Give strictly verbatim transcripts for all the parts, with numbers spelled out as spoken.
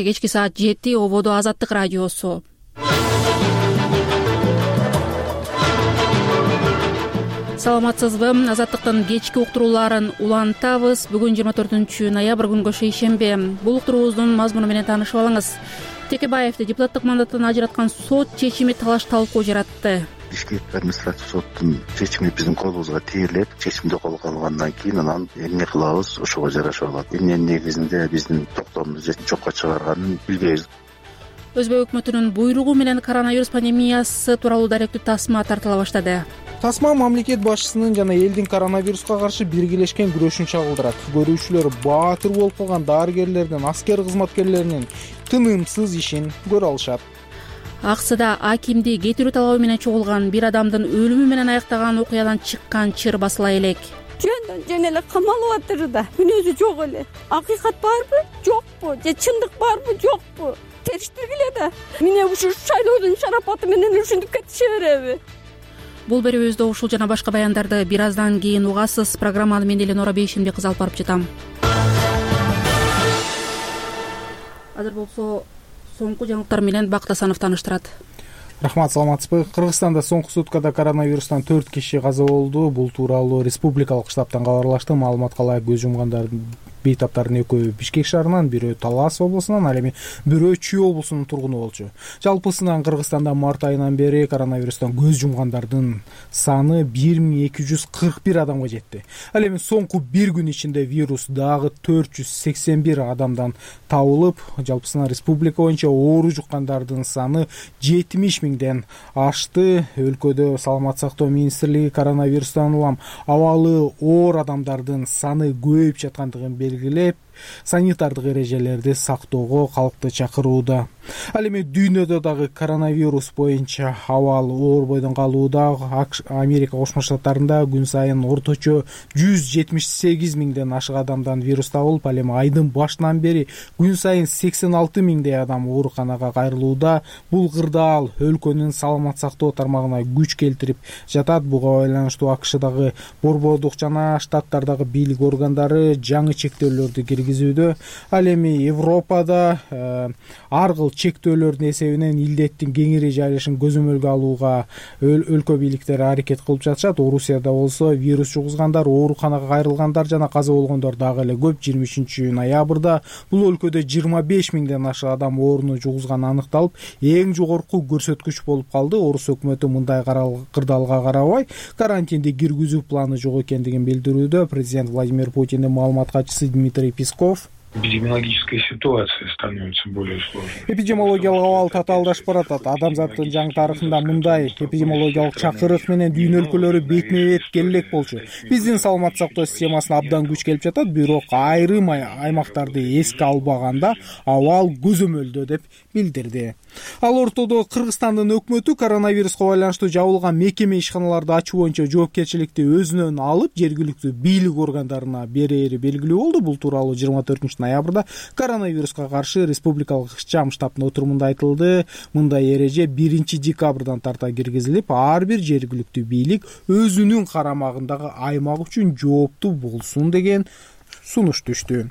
Кечки саат жети ободо Азаттык радиосу. Саламатсызбы? Азаттыктын кечки уктурууларын улантабыз. Бүгүн жыйырма төртүнчү ноябрь күнгө шейшембе. Бул уктуруубуздун мазмуну менен таанышып алыңыз. Текебаевди депутаттык мандаттан ажыраткан сот чечими талаш талкуу жаратты. Бишкек административ соттун чечими биздин колубузга тийилет. Чечимди колго алгандан кийин анан эмне кылабыз ошого жараша алат. Эмненин негизинде биздин токтоомду жокко чыгарганын билбейбиз. Өзбек өкмөтүнүн буйругу менен коронавирус пандемиясы тууралуу даректүү тасма тартыла баштады. Тасма мамлекет башчысынын жана элдин коронавируска каршы биргелешкен күрөшүн чагылдырат. Көрүүчүлөр баатыр болуп калган дарыгерлердин, аскер кызматкерлеринин тынымсыз ишин көрө алышат. Аксыда акимди кетирүү талабы менен чогулган бир адамдын өлүмү менен аяктаган окуядан чыккан чыр басыла элек. Жөндөн жөн эле камалып атыр да, мүнөзү жок эле. Акыйкат барбы, жокпу, же чындык барбы, жокпу? Териштиргиле да. Міне ушу шайлоодун шарапаты менен ушинтип кетише береби? Бул берүүбүздө ушул жана башка баяндарды бир аздан кийин угасыз. Программаны мен Эленора Бейшенбек кызы алып барып жатам. Азыр болсо соңку жаңылыктар менен Бакыт Асанов тааныштырат. Рахмат, саламатсызбы? Кыргызстанда соңку суткада коронавирустан төрт киши каза болду. Бул тууралуу республикалык штабтан кабарлашты. Маалыматка ылайык көз жумгандардын бейтаптардын экөө Бишкек шаарынан, бирөө Талас облусунан, ал эми бирөө Чүй облусунун тургуну болчу. Жалпысынан Кыргызстанда март айынан бери коронавирустан көз жумгандардын саны бир миң эки жүз кырк бир адамга жетти. Ал эми соңку бир күн ичинде вирус дагы төрт жүз сексен бир адамдан табылып, жалпысынан республика боюнча оору жуккандардын саны жетимиш миңден ашты. Өлкөдө Саламаттык сактоо министрлиги коронавирустан улам абалы оор адамдардын саны көбөйүп жаткандыгын белгилеп, санитардык эрежелерди сактоого калкты чакырууда. Ал эми дүйнөдө дагы коронавирус боюнча абал оор бойдон калууда. Америка Кошмо Штаттарында күн сайын орточо жүз жетимиш сегиз миңден ашык адамдан вирус табылып, ал эми айдын башынан бери күн сайын сексен алты миңдей адам ооруканага кайрылууда. Бул кырдаал өлкөнүн саламат сактоо тармагына күч келтирип жатат. Буга байланыштуу АКШдагы борбордук жана штаттардагы бийлик органдары жаңы чектөөлөрдү киргизүүдө. Ал эми Европада э, ар кыл чектөөлөрдүн эсебинен илдеттин кеңири жайылышын көзөмөлгө алууга өл өлкө бийликтери аракет кылып жатышат. Орусияда болсо вирус жугузгандар, ооруканага кайрылгандар жана каза болгондор дагы эле көп. жыйырма үчүнчү ноябрда бул өлкөдө жыйырма беш миңден ашык адам ооруну жугузганы аныкталып, эң жогорку көрсөткүч болуп калды. Орус өкмөтү мындай кырдаалга карабай карантинди киргизүү планы жок экендигин билдирүүдө. Президент Владимир Путиндин маалымат катчысы Дмитрий Песков: эпидемиологическая ситуация становится более сложной. Эпидемиологиялык абал татаалдашып баратат. Адамзаттын жаңы тарыхында мындай эпидемиологиялык чакырык менен дүйнө өлкөлөрү бетме бет келе элек болчу. Биздин саламат сактоо системасына абдан күч келип жатат, бирок айрым аймактарды эске албаганда абал көзөмөлдө деп билдирди. Ал ортодо Кыргызстандын өкмөтү коронавируска байланыштуу жабылган мекеме ишканаларды ачуу боюнча жоопкерчиликти өзүнөн алып, жергиликтүү бийлик органдарына берери белгилүү болду. Бул тууралуу жыйырма төртүнчү ноябрда коронавируска каршы республикалык ыкчам штабтын отурумунда айтылды. Мындай эреже биринчи декабрдан тарта киргизилип, ар бир жергиликтүү бийлик өзүнүн карамагындагы аймак үчүн жооптуу болсун деген сунуш түштү.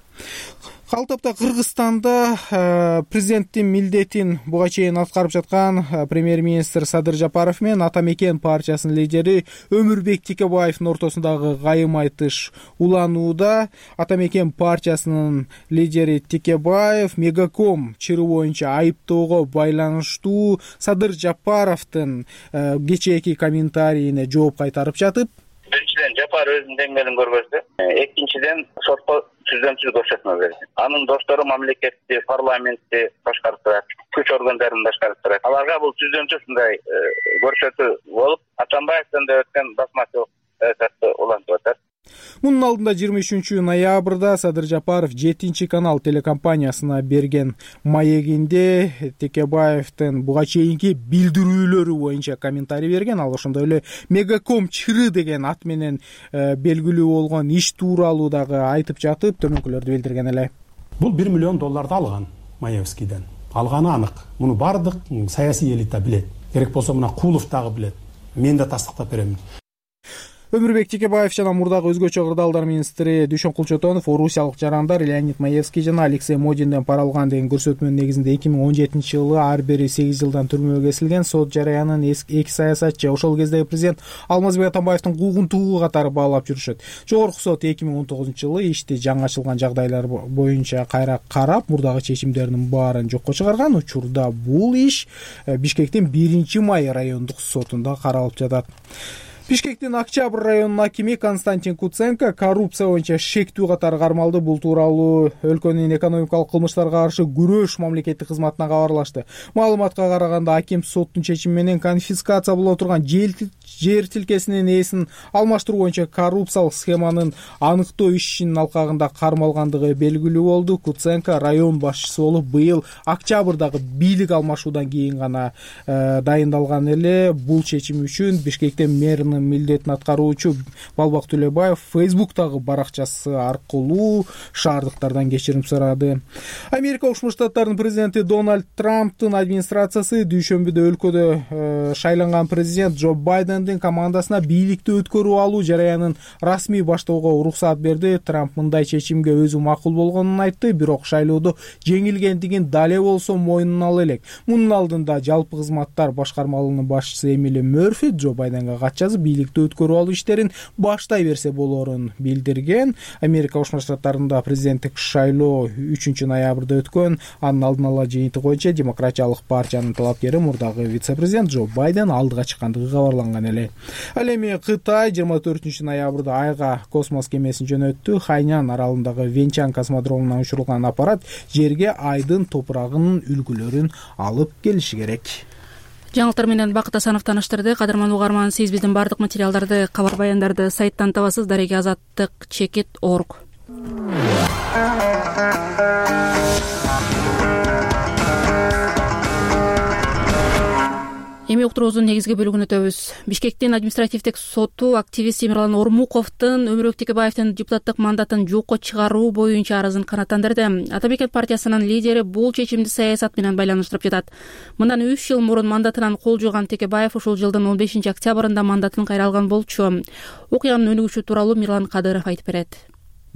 Калтапта Кыргызстанда э, президенттин милдетин буга чейин аткарып жаткан э, премьер-министр Садыр Жапаров менен Ата Мекен партиясынын лидери Өмүрбек Текебаевдин ортосундагы кайым айтыш уланууда. Ата Мекен партиясынын лидери Текебаев Мегаком чыры боюнча айыптоого байланыштуу Садыр Жапаровдун э, кечээки комментарийине жооп кайтарып жатып: Биринчиден, Жапар өзүнүн деңгээлин көргөздү. Экинчиден, сотко түзөмсүз көрсөтмө берди. Анын достору мамлекетти, парламентти башкарып турат, күч органдарын башкарып турат. Аларга бул түзөмсүз мындай көрсөтүү болуп, Атамбаевден да өткөн басмачылык улантып атат. Мунун алдында жыйырма үчүнчү ноябрда Садыр Жапаров жетинчи канал телекомпаниясына берген маегинде Текебаевдин буга чейинки билдирүүлөрү боюнча комментарий берген. Ал ошондой эле Мегаком чыры деген ат менен э, белгилүү болгон иш тууралуу дагы айтып жатып, төмөнкүлөрдү билдирген эле. Бул бир миллион долларды алган Маевскийден. Алганы анык. Муну бардык саясий элита билет. Керек болсо мына Кулов дагы билет. Мен да тастыктап беремин. Өмүрбек Текебаев жана мурдагы өзгөчө кырдаалдар министри Дүйшөн Кулчотонов орусиялык жарандар Леонид Маевский жана Алексей Модинден пара алган деген көрсөтмөнүн негизинде эки миң он жетинчи жылы ар бири сегиз жылдан түрмөгө кесилген. Сот жараянын эки саясатчы, ошол кездеги президент Алмазбек Атамбаевдин куугунтугу катары баалап жүрүшөт. Жогорку сот эки миң он тогузунчу жылы ишти жаңы ачылган жагдайлар боюнча кайра карап, мурдагы чечимдердин баарын жокко чыгарган. Учурда бул иш Бишкектин биринчи май райондук сотунда каралып жатат. Бишкектин Октябрь районунун акими Константин Куценко коррупция боюнча шектүү катары кармалды. Бул тууралуу өлкөнүн экономикалык кылмыштарга каршы күрөш мамлекеттик кызматына кабарлашты. Маалыматка караганда, аким соттун чечими менен конфискация боло турган жер тилкесинин ээсин алмаштыруу боюнча коррупциялык схеманын аныктоо ишинин алкагында кармалгандыгы белгилүү болду. Куценко район башчысы болуп быйыл октябрдагы бийлик алмашуудан кийин гана э, дайындалган эле. Бул чечим үчүн Бишкектин мэринин милдетин аткаруучу Балбак Төлөбаев Фейсбуктагы баракчасы аркылуу шаардыктардан кечирим сурады. Америка Кошмо Штаттарынын президенти Дональд Трамптын администрациясы дүйшөмбүдө өлкөдө э, шайланган президент Джо Байдендин командасына бийликти өткөрүп алуу жараянын расмий баштоого уруксаат берди. Трамп мындай чечимге өзү макул болгонун айтты, бирок шайлоодо жеңилгендигин дале болсо мойнуна ала элек. Мунун алдында жалпы кызматтар башкармалыгынын башчысы Эмили Мерфи Джо Байденге кат жазып, бийликти өткөрүп алуу иштерин баштай берсе болорун билдирген. Америка Кошмо Штаттарында президенттик шайлоо үчүнчү ноябрда өткөн. Анын алдын ала жыйынтыгы боюнча Демократиялык партиянын талапкери мурдагы вице-президент Джо Байден алдыга чыккандыгы кабарланган эле. Ал эми Кытай жыйырма төртүнчү ноябрда айга космос кемесин жөнөттү. Хайнян аралындагы Венчан космодромунан учурулган аппарат жерге айдын топурагынын үлгүлөрүн алып келиши керек. Жаңылыктар менен Бакыт Асанов таныштырды. Кадырман угарман, сиз биздин бардык материалдарды, кабар баяндарды сайттан табасыз. Дареге азаттык чекит точка орг. Эми уктуруубуздун негизги бөлүгүн өтөбүз. Бишкектин административдик соту активист Темирлан Ормуковдун Өмүрбек Текебаевдин депутаттык мандатын жокко чыгаруу боюнча арызын канааттандырды. Ата Мекет партиясынын лидери бул чечимди саясат менен байланыштырып жатат. Мындан үч жыл мурун мандатынан кол жууган Текебаев ушул жылдын он бешинчи октябрында мандатын кайра алган болчу. Окуянын өнүгүшү тууралуу Мирлан Кадыров айтып берет.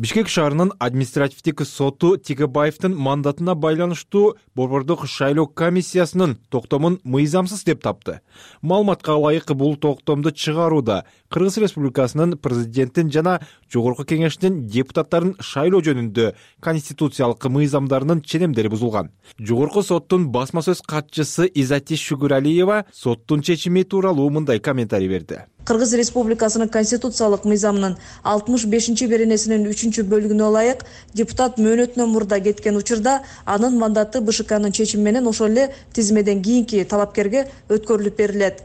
Бишкек шаарынын административдик соту Текебаевдин мандатына байланыштуу Борбордук шайлоо комиссиясынын токтомун мыйзамсыз деп тапты. Маалыматка ылайык, бул токтомду чыгарууда Кыргыз Республикасынын президенттин жана Жогорку Кеңештин депутаттарын шайлоо жөнүндө конституциялык мыйзамдарынын ченемдери бузулган. Жогорку соттун басма сөз катчысы Изати Шүгүралиева соттун чечими тууралуу мындай комментарий берди. Кыргыз Республикасынын конституциялык мыйзамынын алтымыш бешинчи беренесинин үчүнчү бөлүгүнө ылайык, депутат мөөнөтүнөн мурда кеткен учурда анын мандаты БШКнын чечими менен ошол эле тизмеден кийинки талапкерге өткөрүлүп берилет.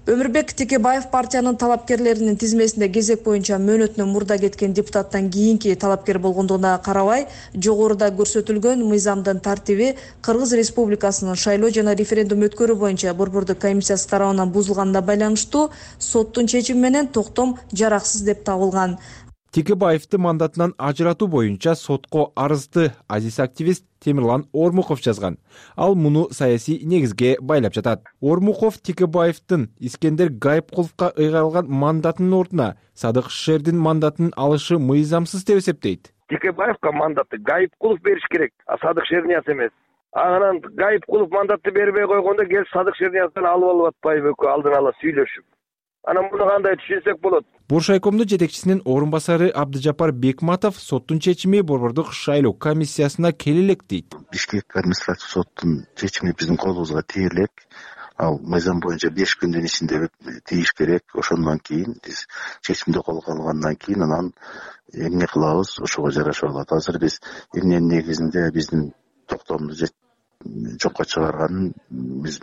Өмүрбек Текебаев партиянын талапкерлеринин тизмесинде кезек боюнча мөөнөтүнөн мурда кеткен депутаттан кийинки талапкер болгондугуна карабай, жогоруда көрсөтүлгөн мыйзамдын тартиби Кыргыз Республикасынын шайлоо жана референдум өткөрүү боюнча Борбордук комиссиясы тарабынан бузулганына байланыштуу соттун чечими менен токтом жараксыз деп табылган. Текебаевди мандатынан ажыратуу боюнча сотко арызды азиз активист Темирлан Ормуков жазган. Ал муну саясий негизге байлап жатат. Ормуков Текебаевдин Искендер Гайыпкуловго ыйгарылган мандатынын ордуна Садык Шердин мандатын алышы мыйзамсыз деп эсептейт. Текебаевга мандатты Гайыпкулов бериш керек, а Садык Шернияз эмес. Анан Гайыпкулов мандатты бербей койгондо келип Садык Шернияздан алып алып атпайбы экөө алдын ала сүйлөшүп. Анан муну кандай түшүнсөк болот? Буршайкомдун жетекчисинин орун басары Абдыжапар Бекматов соттун чечими Борбордук шайлоо комиссиясына келелек дейт. Бишкек административдик соттун чечими биздин колубузга тие элек. Ал мыйзам боюнча беш күндүн ичинде тийиш керек. Ошондон кийин биз чечимди колго алгандан кийин анан эмне кылабыз, ошого жараша алат. Азыр биз эмненин негизинде биздин токтомду жокко чыгарганын биз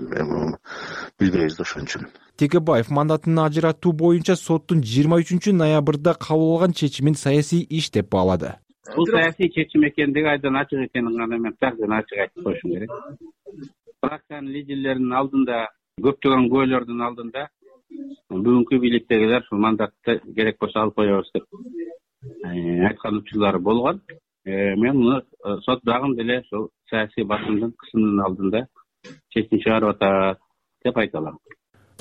билбейбиз да, ошон үчүн. Текебаев мандатын ажыратуу боюнча соттун жыйырма үчүнчү ноябрда кабыл алган чечимин саясий иш деп баалады. Бул саясий чечим экендиги айдан ачык экенин гана мен такыр ачык айтып коюшум керек. Фракциянын лидерлеринин алдында, көптөгөн күбөлөрдүн алдында бүгүнкү бийликтегилер ушул мандатты керек болсо алып коебуз деп айткан учурлары болгон. Мен муну сот дагы деле ошол саясий басымдын кысымынын алдында чечим чыгарып атат деп айта алам.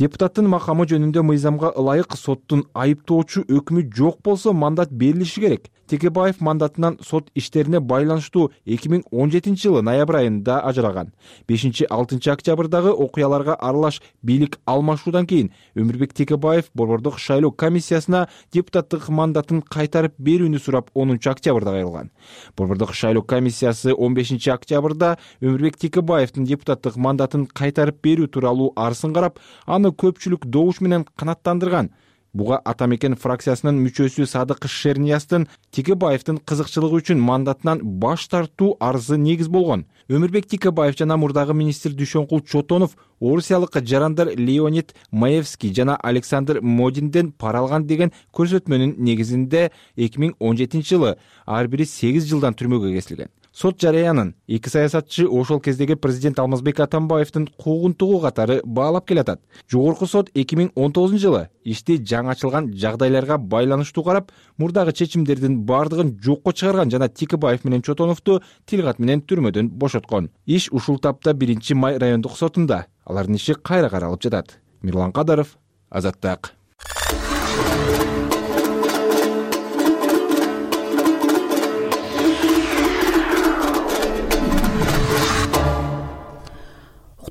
Депутаттын макамы жөнүндө мыйзамга ылайык соттун айыптоочу өкмү жок болсо мандат берилиши керек. Текебаев мандатынан сот иштерине байланыштуу эки миң он жетинчи жылы ноябрь айында ажыраган. бешинчи алтынчы октябрдагы окуяларга аралаш бийлик алмашуудан кийин Өмүрбек Текебаев Борбордук шайлоо комиссиясына депутаттык мандатын кайтарып берүүнү сурап онунчу октябрда кайрылган. Борбордук шайлоо комиссиясы он бешинчи октябрда Өмүрбек Текебаевдин депутаттык мандатын кайтарып берүү тууралуу арызын карап, аны көпчүлүк добуш менен канааттандырган. Буга Атамекен фракциясынын мүчөсү Садык Шернияздын Текебаевдин кызыкчылыгы үчүн мандатынан баш тартуу арызы негиз болгон. Өмүрбек Текебаев жана мурдагы министр Дүйшөнкул Чотонов орусиялык жарандар Леонид Маевский жана Александр Модинден пара алган деген көрсөтмөнүн негизинде эки миң он жетинчи жылы ар бири сегиз жылдан түрмөгө кесилген. Сот жараянын эки саясатчы ошол кездеги президент Алмазбек Атамбаевдин куугунтугу катары баалап келатат. Жогорку сот эки миң он тогузунчу жылы ишти жаңы ачылган жагдайларга байланыштуу карап, мурдагы чечимдердин бардыгын жокко чыгарган жана Текебаев менен Чотоновду тилгат менен түрмөдөн бошоткон. Иш ушул тапта биринчи май райондук сотунда. Алардын иши кайра каралып жатат. Мирлан Кадаров, Азаттык.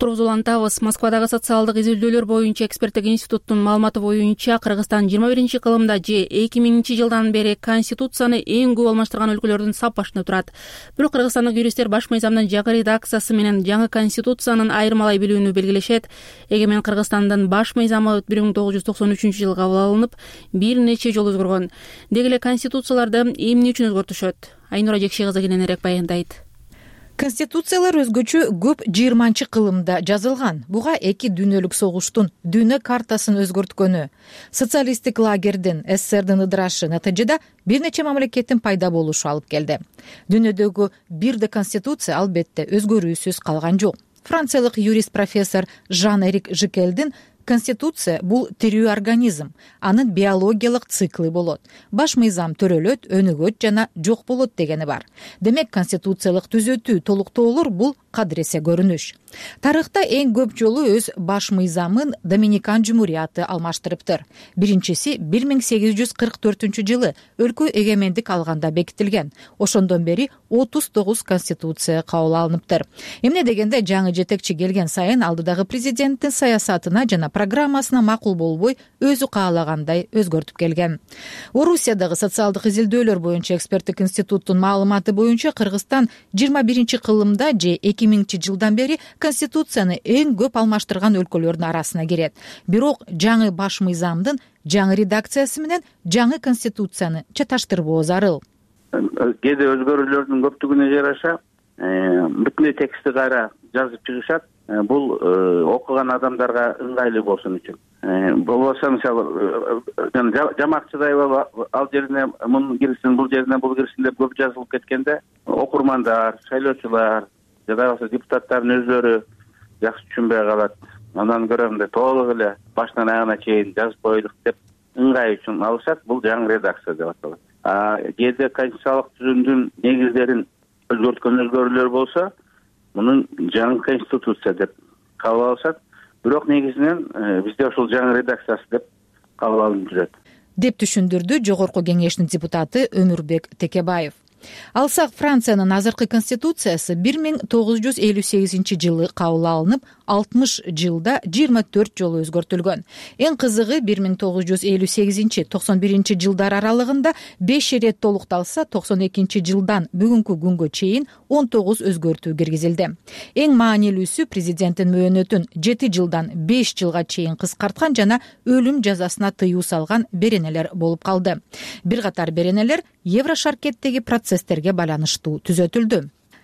Улантабыз. Москвадагы социалдык изилдөөлөр боюнча эксперттик институттун маалыматы боюнча Кыргызстан жыйырма биринчи кылымда же эки миңинчи жылдан бери конституцияны эң көп алмаштырган өлкөлөрдүн саппашында турат. Бирок кыргызстандык юристтер баш мыйзамдын жаңы редакциясы менен жаңы конституциянын айырмалай билүүнү белгилешет. Эгемен Кыргызстандын баш мыйзамы бир миң тогуз жүз токсон үчүнчү жылы кабыл алынып, бир нече жолу өзгөргөн. Деги эле конституцияларды эмне үчүн өзгөртүшөт? Айнура Жекши кызы кененирээк баяндайт. Конституциялар өзгөчө көп жыйырманчы кылымда жазылган. Буга эки дүйнөлүк согуштун дүйнө картасын өзгөрткөнү, социалисттик лагердин СССРдин ыдырашы натыйжада бир нече мамлекеттин пайда болушу алып келди. Дүйнөдөгү бирде конституция албетте өзгөрүүсүз калган жок. Франциялык юрист профессор Жан-Эрик Жикелдин конституция бул тирүү организм, анын биологиялык циклы болот. Баш мыйзам төрөлөт, өнүгөт жана жок болот дегени бар. Демек конституциялык түзөтүү, толуктоолор бул кадыресе көрүнүш. Тарыхта эң көп жолу өз баш мыйзамын Доминикан жумурияты алмаштырыптыр. Биринчиси бир миң сегиз жүз кырк төртүнчү жылы өлкө эгемендик алганда бекитилген. Ошондон бери отуз тогуз конституция кабыл алыныптыр. Эмне дегенде жаңы жетекчи келген сайын алдыдагы президенттин саясатына жана программасына макул болбой, өзү каалагандай өзгөртүп келген. Орусиядагы социалдык изилдөөлөр боюнча эксперттик институттун маалыматы боюнча Кыргызстан жыйырма биринчи кылымда же эки миңинчи жылдан бери конституцияны эң көп алмаштырган өлкөлөрдүн арасына кирет. Бирок жаңы баш мыйзамдын жаңы редакциясы менен жаңы конституцияны чаташтырбоо зарыл. Кээде өзгөрүүлөрдүн көптүгүнө жараша бүтүндөй текстти кайра жазып чыгышат. Бул окуган адамдарга ыңгайлуу болсун үчүн. Болбосо мисалы жамакчыдай ал жерине мун кирсин, бул жерине бул кирсин деп көп жазылып кеткенде окурмандар, шайлоочулар жада болбосо депутаттардын өздөрү жакшы түшүнбөй калат. Андан көрө мындай толук эле баштан аягына чейин жазып коелук деп ыңгай үчүн алышат. Бул жаңы редакция деп аталат. А кээде конституциялык түзүмдүн негиздерин өзгөрткөн өзгөрүүлөр болсо, мунун жаңы конституция деп кабыл алышат. Бирок негизинен бизде ушул жаңы редакциясы деп кабыл алынып жүрөт. Деп түшүндүрдү Жогорку кеңештин депутаты Өмүрбек Текебаев. Алсак, Франциянын азыркы конституциясы бир миң тогуз жүз элүү сегизинчи жылы кабыл алынып, алтымыш жылда жыйырма төрт жолу өзгөртүлгөн. Эң кызыгы бир миң тогуз жүз элүү сегизинчи токсон биринчи жылдар аралыгында беш ирет толукталса, токсон экинчи жылдан бүгүнкү күнгө чейин он тогуз өзгөртүү киргизилди. Эң маанилүүсү президенттин мөөнөтүн жети жылдан беш жылга чейин кыскарткан жана өлүм жазасына тыюу салган беренелер болуп калды. Бир катар беренелер Еврошаркеттеги процесстерге байланыштуу түзөтүлдү.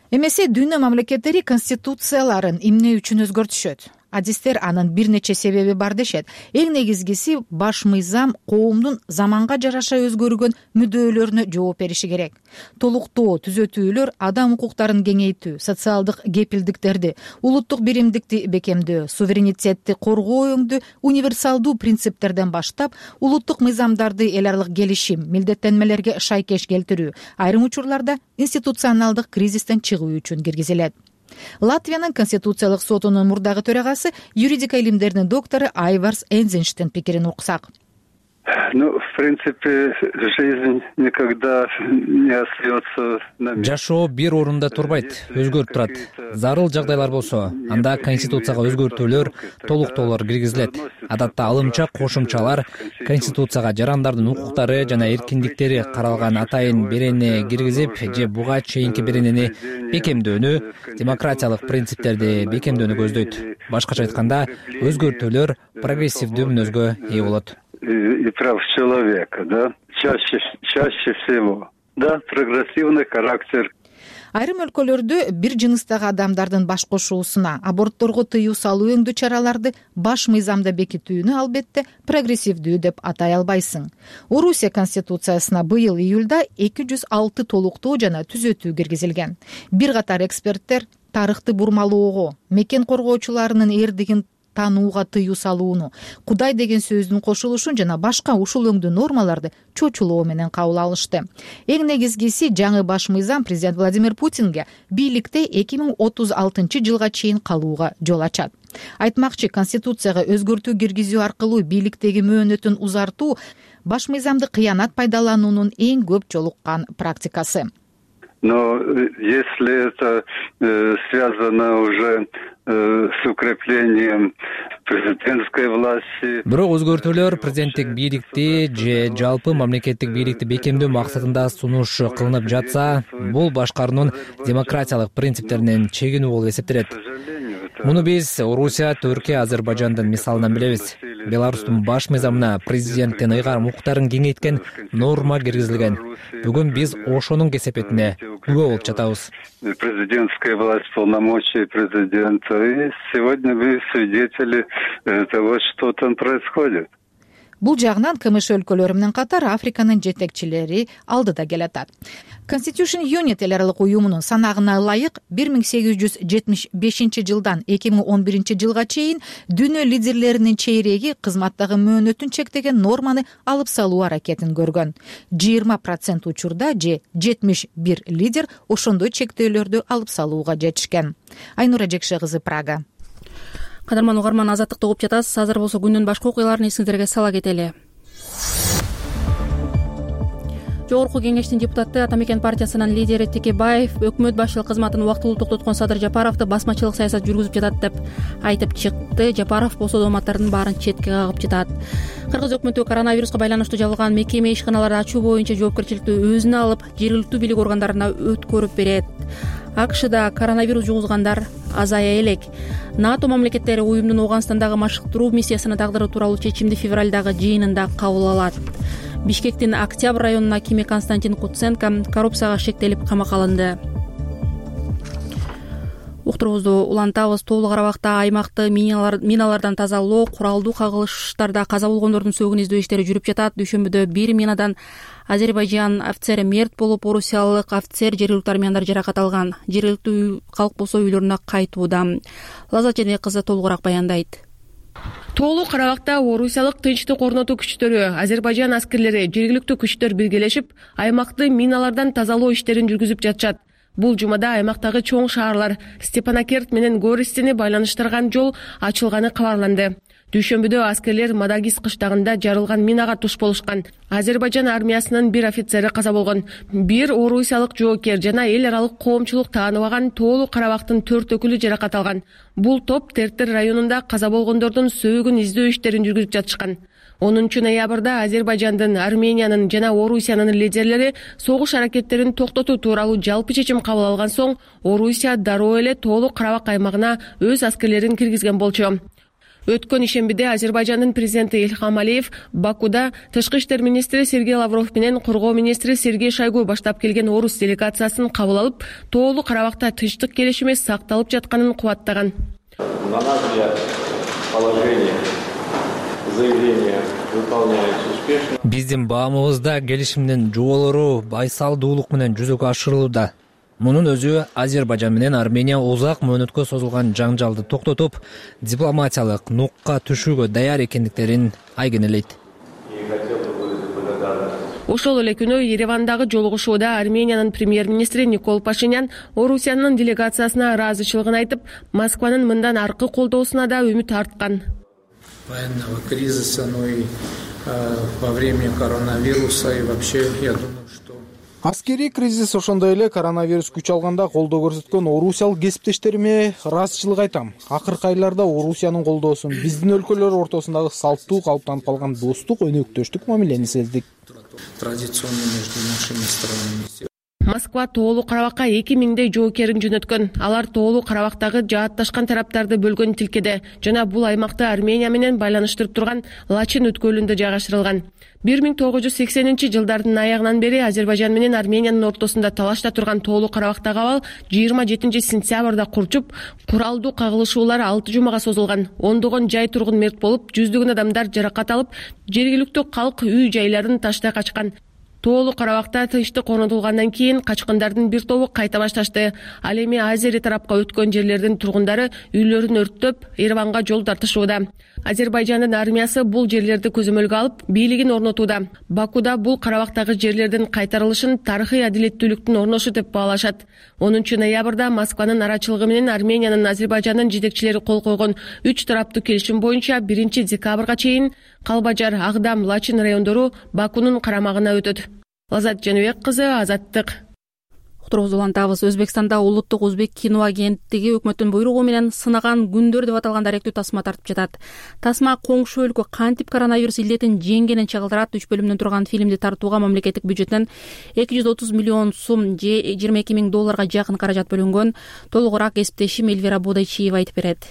Эмесе дүйнө мамлекеттери конституцияларын эмне үчүн өзгөртүшөт? Адистер анын бир нече себеби бар дешет. Эң негизгиси баш мыйзам коомдун заманга жараша өзгөргөн мүддөөлөрүнө жооп бериши керек. Толуктоо, түзөтүүлөр адам укуктарын кеңейтүү, социалдык кепилдиктерди, улуттук биримдикти бекемдөө, суверенитетти коргоо өңдү универсалдуу принциптерден баштап, улуттук мыйзамдарды эл аралык келишим, милдеттенмелерге шайкеш келтирүү, айрым учурларда институционалдык кризистен чыгуу үчүн киргизилет. Латвиянын конституциялык сотунун мурдагы төрагасы, юридика илимдеринин доктору Айварс Энзенштен пикирин уксак. Ну, в принципе, жизнь никогда не остается на месте. Жашоо бир орунда турбайт, өзгөрүп турат. Зарыл жагдайлар болсо, анда конституцияга өзгөртүүлөр, толуктоолор киргизилет. Адатта алымча кошумчалар конституцияга жарандардын укуктары жана эркиндиктери каралган атайын берене киргизип, же буга чейинки беренени бекемдөөнү, демократиялык принциптерди бекемдөөнү көздөйт. Башкача айтканда, өзгөртүүлөр прогрессивдүү мүнөзгө ээ болот. И прав человека, да, чаще, чаще всего, да, прогрессивный характер. Айрым өлкөлөрдө бир жыныстагы адамдардын баш кошуусуна, абортторго тыюу салуу өңдүү чараларды баш мыйзамда бекитүүнү албетте прогрессивдүү деп атай албайсың. Орусия конституциясына быйыл июлда эки жүз алты толуктоо жана түзөтүү киргизилген. Бир катар эксперттер тарыхты бурмалоого, мекен коргоочуларынын эрдигин таанууга тыюу салууну, Кудай деген сөздүн кошулушун жана башка ушул өңдүү нормаларды чочулоо менен кабыл алышты. Эң негизгиси, жаңы баш мыйзам президент Владимир Путинге бийликте эки миң отуз алтынчы жылга чейин калууга жол ачат. Айтмакчы, конституцияга өзгөртүү киргизүү аркылуу бийликтеги мөөнөтүн узартуу баш мыйзамды кыянат пайдалануунун эң көп жолуккан практикасы. Но если это э, связано уже э, с укреплением президентской власти. Бирок өзгөртүүлөр президенттик бийликти же жалпы мамлекеттик бийликти бекемдөө максатында сунуш кылынып жатса, бул башкаруунун демократиялык принциптеринен чегинүү болуп эсептелет. Муну биз Орусия, Түркия, Азербайжандын мисалынан билебиз. Беларустун баш мыйзамына президенттин ыйгарым укуктарын кеңейткен норма киргизилген. Бүгүн биз ошонун кесепетине күбө болуп жатабыз. Президентская власть, полномочия президента. И сегодня мы свидетели того, что там происходит. Бул жагынан КМШ өлкөлөрү менен катар Африканын жетекчилери алдыда келатат. Constitution Unit эл аралык уюмунун санагына ылайык бир миң сегиз жүз жетимиш бешинчи жылдан эки миң он биринчи жылга чейин дүйнө лидерлеринин чейреги кызматтагы мөөнөтүн чектеген норманы алып салуу аракетин көргөн. жыйырма процент учурда же жетимиш бир лидер ошондой чектөөлөрдү алып салууга жетишкен. Айнура Жекше кызы, Прага. Кадырман угарман, азаттыкты угуп жатасыз. Азыр болсо күндүн башка окуяларын эсиңиздерге сала кетели. Жогорку кеңештин депутаты Атамекен партиясынын лидери Текебаев өкмөт башчылык кызматын убактылуу токтоткон Садыр Жапаровду басмачылык саясат жүргүзүп жатат деп айтып чыкты. Жапаров болсо дооматтардын баарын четке кагып жатат. Кыргыз өкмөтү коронавируска байланыштуу жабылган мекеме ишканаларды ачуу боюнча жоопкерчиликти өзүнө алып, жергиликтүү бийлик органдарына өткөрүп берет. АКШда коронавирус жугузгандар азая элек. НАТО мамлекеттери уюмдун Ооганстандагы машыктыруу миссиясына тагдыруу тууралуу чечимди февралдагы жыйынында кабыл алат. Бишкектин Октябрь районунун акими Константин Куценко коррупцияга шектелип камакка алынды. Уктурубузду улантабыз. Тоолуу Карабакта аймакты миналар, миналардан тазалоо, куралдуу кагылыштарда каза болгондордун сөөгүн издөө иштери жүрүп жатат. Дүйшөмбүдө бир минадан Азербайжан офицери мерт болуп, орусиялык офицер жергиликтүү армияндар жаракат алган. Жергиликтүү калк болсо үйлөрүнө кайтууда. Лазат Жээнбек кызы толугураак баяндайт. Тоолуу Карабакта орусиялык тынчтык орнотуу күчтөрү, Азербайжан аскерлери, жергиликтүү күчтөр биргелешип, аймакты миналардан тазалоо иштерин жүргүзүп жатышат. Бул жумада аймактагы чоң шаарлар Степанакерт менен Гористени байланыштырган жол ачылганы кабарланды. Дүйшөмбүдө аскерлер Мадагис кыштагында жарылган минага туш болушкан. Азербайжан армиясынын бир офицери каза болгон. Бир орусиялык жоокер жана эл аралык коомчулук тааныбаган Тоолуу Карабактын төрт өкүлү жаракат алган. Бул топ Тертер районунда каза болгондордун сөөгүн издөө иштерин жүргүзүп жатышкан. онунчу ноябрда Азербайжандын, Армениянын жана Орусиянын лидерлери согуш аракеттерин токтотуу тууралуу жалпы чечим кабыл алган соң, Орусия дароо эле Тоолуу Карабак аймагына өз аскерлерин киргизген болчу. Өткөн ишембиде Азербайжандын президенти Ильхам Алиев Бакуда тышкы иштер министри Сергей Лавров менен коргоо министри Сергей Шойгу баштап келген орус делегациясын кабыл алып, Тоолуу Карабакта тынчтык келишими сакталып жатканын кубаттаган. На наш взгляд, положение заявления выполняется успешно. Биздин баамыбызда келишимдин жоболору байсалдуулук менен жүзөгө ашырылууда. Мунун өзү Азербайжан менен Армения узак мөөнөткө созулган жаңжалды токтотуп, дипломатиялык нукка түшүүгө даяр экендиктерин айгинелейт. Ошол эле күнү Еревандагы жолугушууда Армениянын премьер-министри Никол Пашинян Орусиянын делегациясына ыраазычылыгын айтып, Москванын мындан аркы колдоосуна да үмүт арткан. Военного кризиса, но и во время коронавируса и вообще, я думаю, что аскерий кризис ошондой эле коронавирус күч алганда колдоо көрсөткөн орусиялык кесиптештериме ыраазычылык айтам. Акыркы айларда Орусиянын колдоосун биздин өлкөлөр ортосундагы салттуу калыптанып калган достук, өнөктөштүк мамилени сездик. Традиционно между нашими странами. Москва Тоолуу Карабакка эки миңдей жоокерин жөнөткөн. Алар Тоолуу Карабактагы жаатташкан тараптарды бөлгөн тилкеде жана бул аймакты Армения менен байланыштырып турган Лачин өткөлүндө жайгаштырылган. бир миң тогуз жүз сексенинчи жылдардын аягынан бери Азербайжан менен Армениянын ортосунда талашта турган Тоолуу Карабактагы абал жыйырма жетинчи сентябрда курчуп, куралдуу кагылышуулар алты жумага созулган. Ондогон жай тургун мерт болуп, жүздөгөн адамдар жаракат алып, жергиликтүү калк үй жайларын таштай качкан. Тоолуу Карабакта тынчтык орнотулгандан кийин качкындардын бир тобу кайта башташты. Ал эми Азери тарапка өткөн жерлердин тургундары үйлөрүн өрттөп, Ереванга жол тартышууда. Азербайжандын армиясы бул жерлерди көзөмөлгө алып, бийлигин орнотууда. Бакуда бул Карабактагы жерлердин кайтарылышын тарыхый адилеттүүлүктүн орношу деп баалашат. онунчу ноябрда Москванын арачылыгы менен Армениянын, Азербайжандын жетекчилери кол койгон үч тараптуу келишим боюнча биринчи декабрга чейин Калбажар, Агдам, Лачин райондору Бакунун карамагына өтөт. Лазат Жаныбек кызы, Азаттык. Уктуруубузду улантабыз. Өзбекстанда улуттук өзбек кино агенттиги өкмөттүн буйругу менен сынаган күндөр деп аталган даректүү тасма тартып жатат. Тасма коңшу өлкө кантип коронавирус илдетин жеңгенин чагылдырат. Үч бөлүмдөн турган фильмди тартууга мамлекеттик бюджеттен эки жүз отуз миллион сум же жыйырма эки миң долларга жакын каражат бөлүнгөн. Толугураак кесиптешим Эльвира Бодойчиева айтып берет.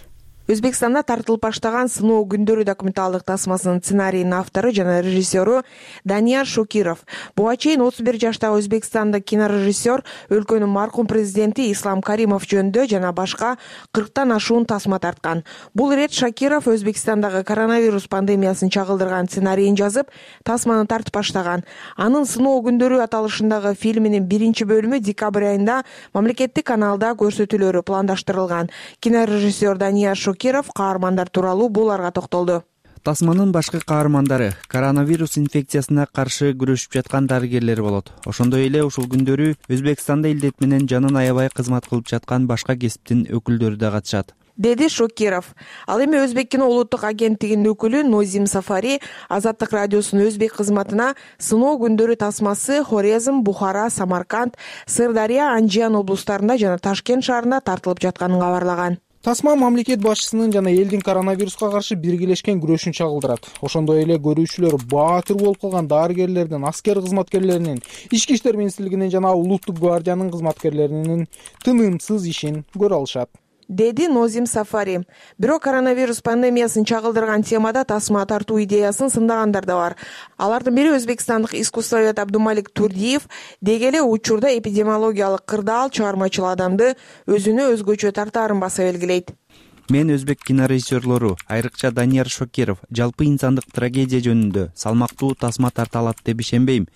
Өзбекстанда тартылып баштаган сыноо күндөрү документалдык тасмасынын сценарийинин автору жана режиссеру Данияр Шокиров. Буга чейин отуз бир жаштагы Өзбекстандык кинорежиссер өлкөнүн маркум президенти Ислам Каримов жөнүндө жана башка кырктан ашуун тасма тарткан. Бул ирет Шокиров Өзбекстандагы коронавирус пандемиясын чагылдырган сценарийин жазып, тасманы тартып баштаган. Анын сыноо күндөрү аталышындагы фильминин биринчи бөлүмү декабрь айында мамлекеттик каналда көрсөтүлөрү пландаштырылган. Кинорежиссер Данияр Шокиров каармандар тууралуу буларга токтолду. Тасманын башкы каармандары коронавирус инфекциясына каршы күрөшүп жаткан дарыгерлер болот. Ошондой эле ушул күндөрү Өзбекстанда илдет менен жанын аябай кызмат кылып жаткан башка кесиптин өкүлдөрү да катышат, деди Шокиров. Ал эми Өзбек кино улуттук агенттигинин өкүлү Нозим Сафари Азаттык радиосунун өзбек кызматына сыноо күндөрү тасмасы Хорезм, Бухара, Самарканд, Сырдария, Анжиян облустарында жана Ташкент шаарында тартылып жатканын кабарлаган. Тасма мамлекет башчысынын жана элдин коронавируска каршы биргелешкен күрөшүн чагылдырат. Ошондой эле көрүүчүлөр баатыр болуп калган дарыгерлердин, аскер кызматкерлеринин, ички иштер министрлигинин жана улуттук гвардиянын кызматкерлеринин тынымсыз ишин көрө алышат, деди Нозим Сафари. Бирок коронавирус пандемиясын чагылдырган темада тасма тартуу идеясын сындагандар да бар. Алардын бири өзбекстандык искусствовед Абдумалик Турдиев деги эле учурда эпидемиологиялык кырдаал чыгармачыл адамды өзүнө өзгөчө тартаарын баса белгилейт. Мен өзбек кинорежиссерлору, айрыкча Данияр Шокиров, жалпы инсандык трагедия жөнүндө салмактуу тасма тарта алат деп ишенбейм.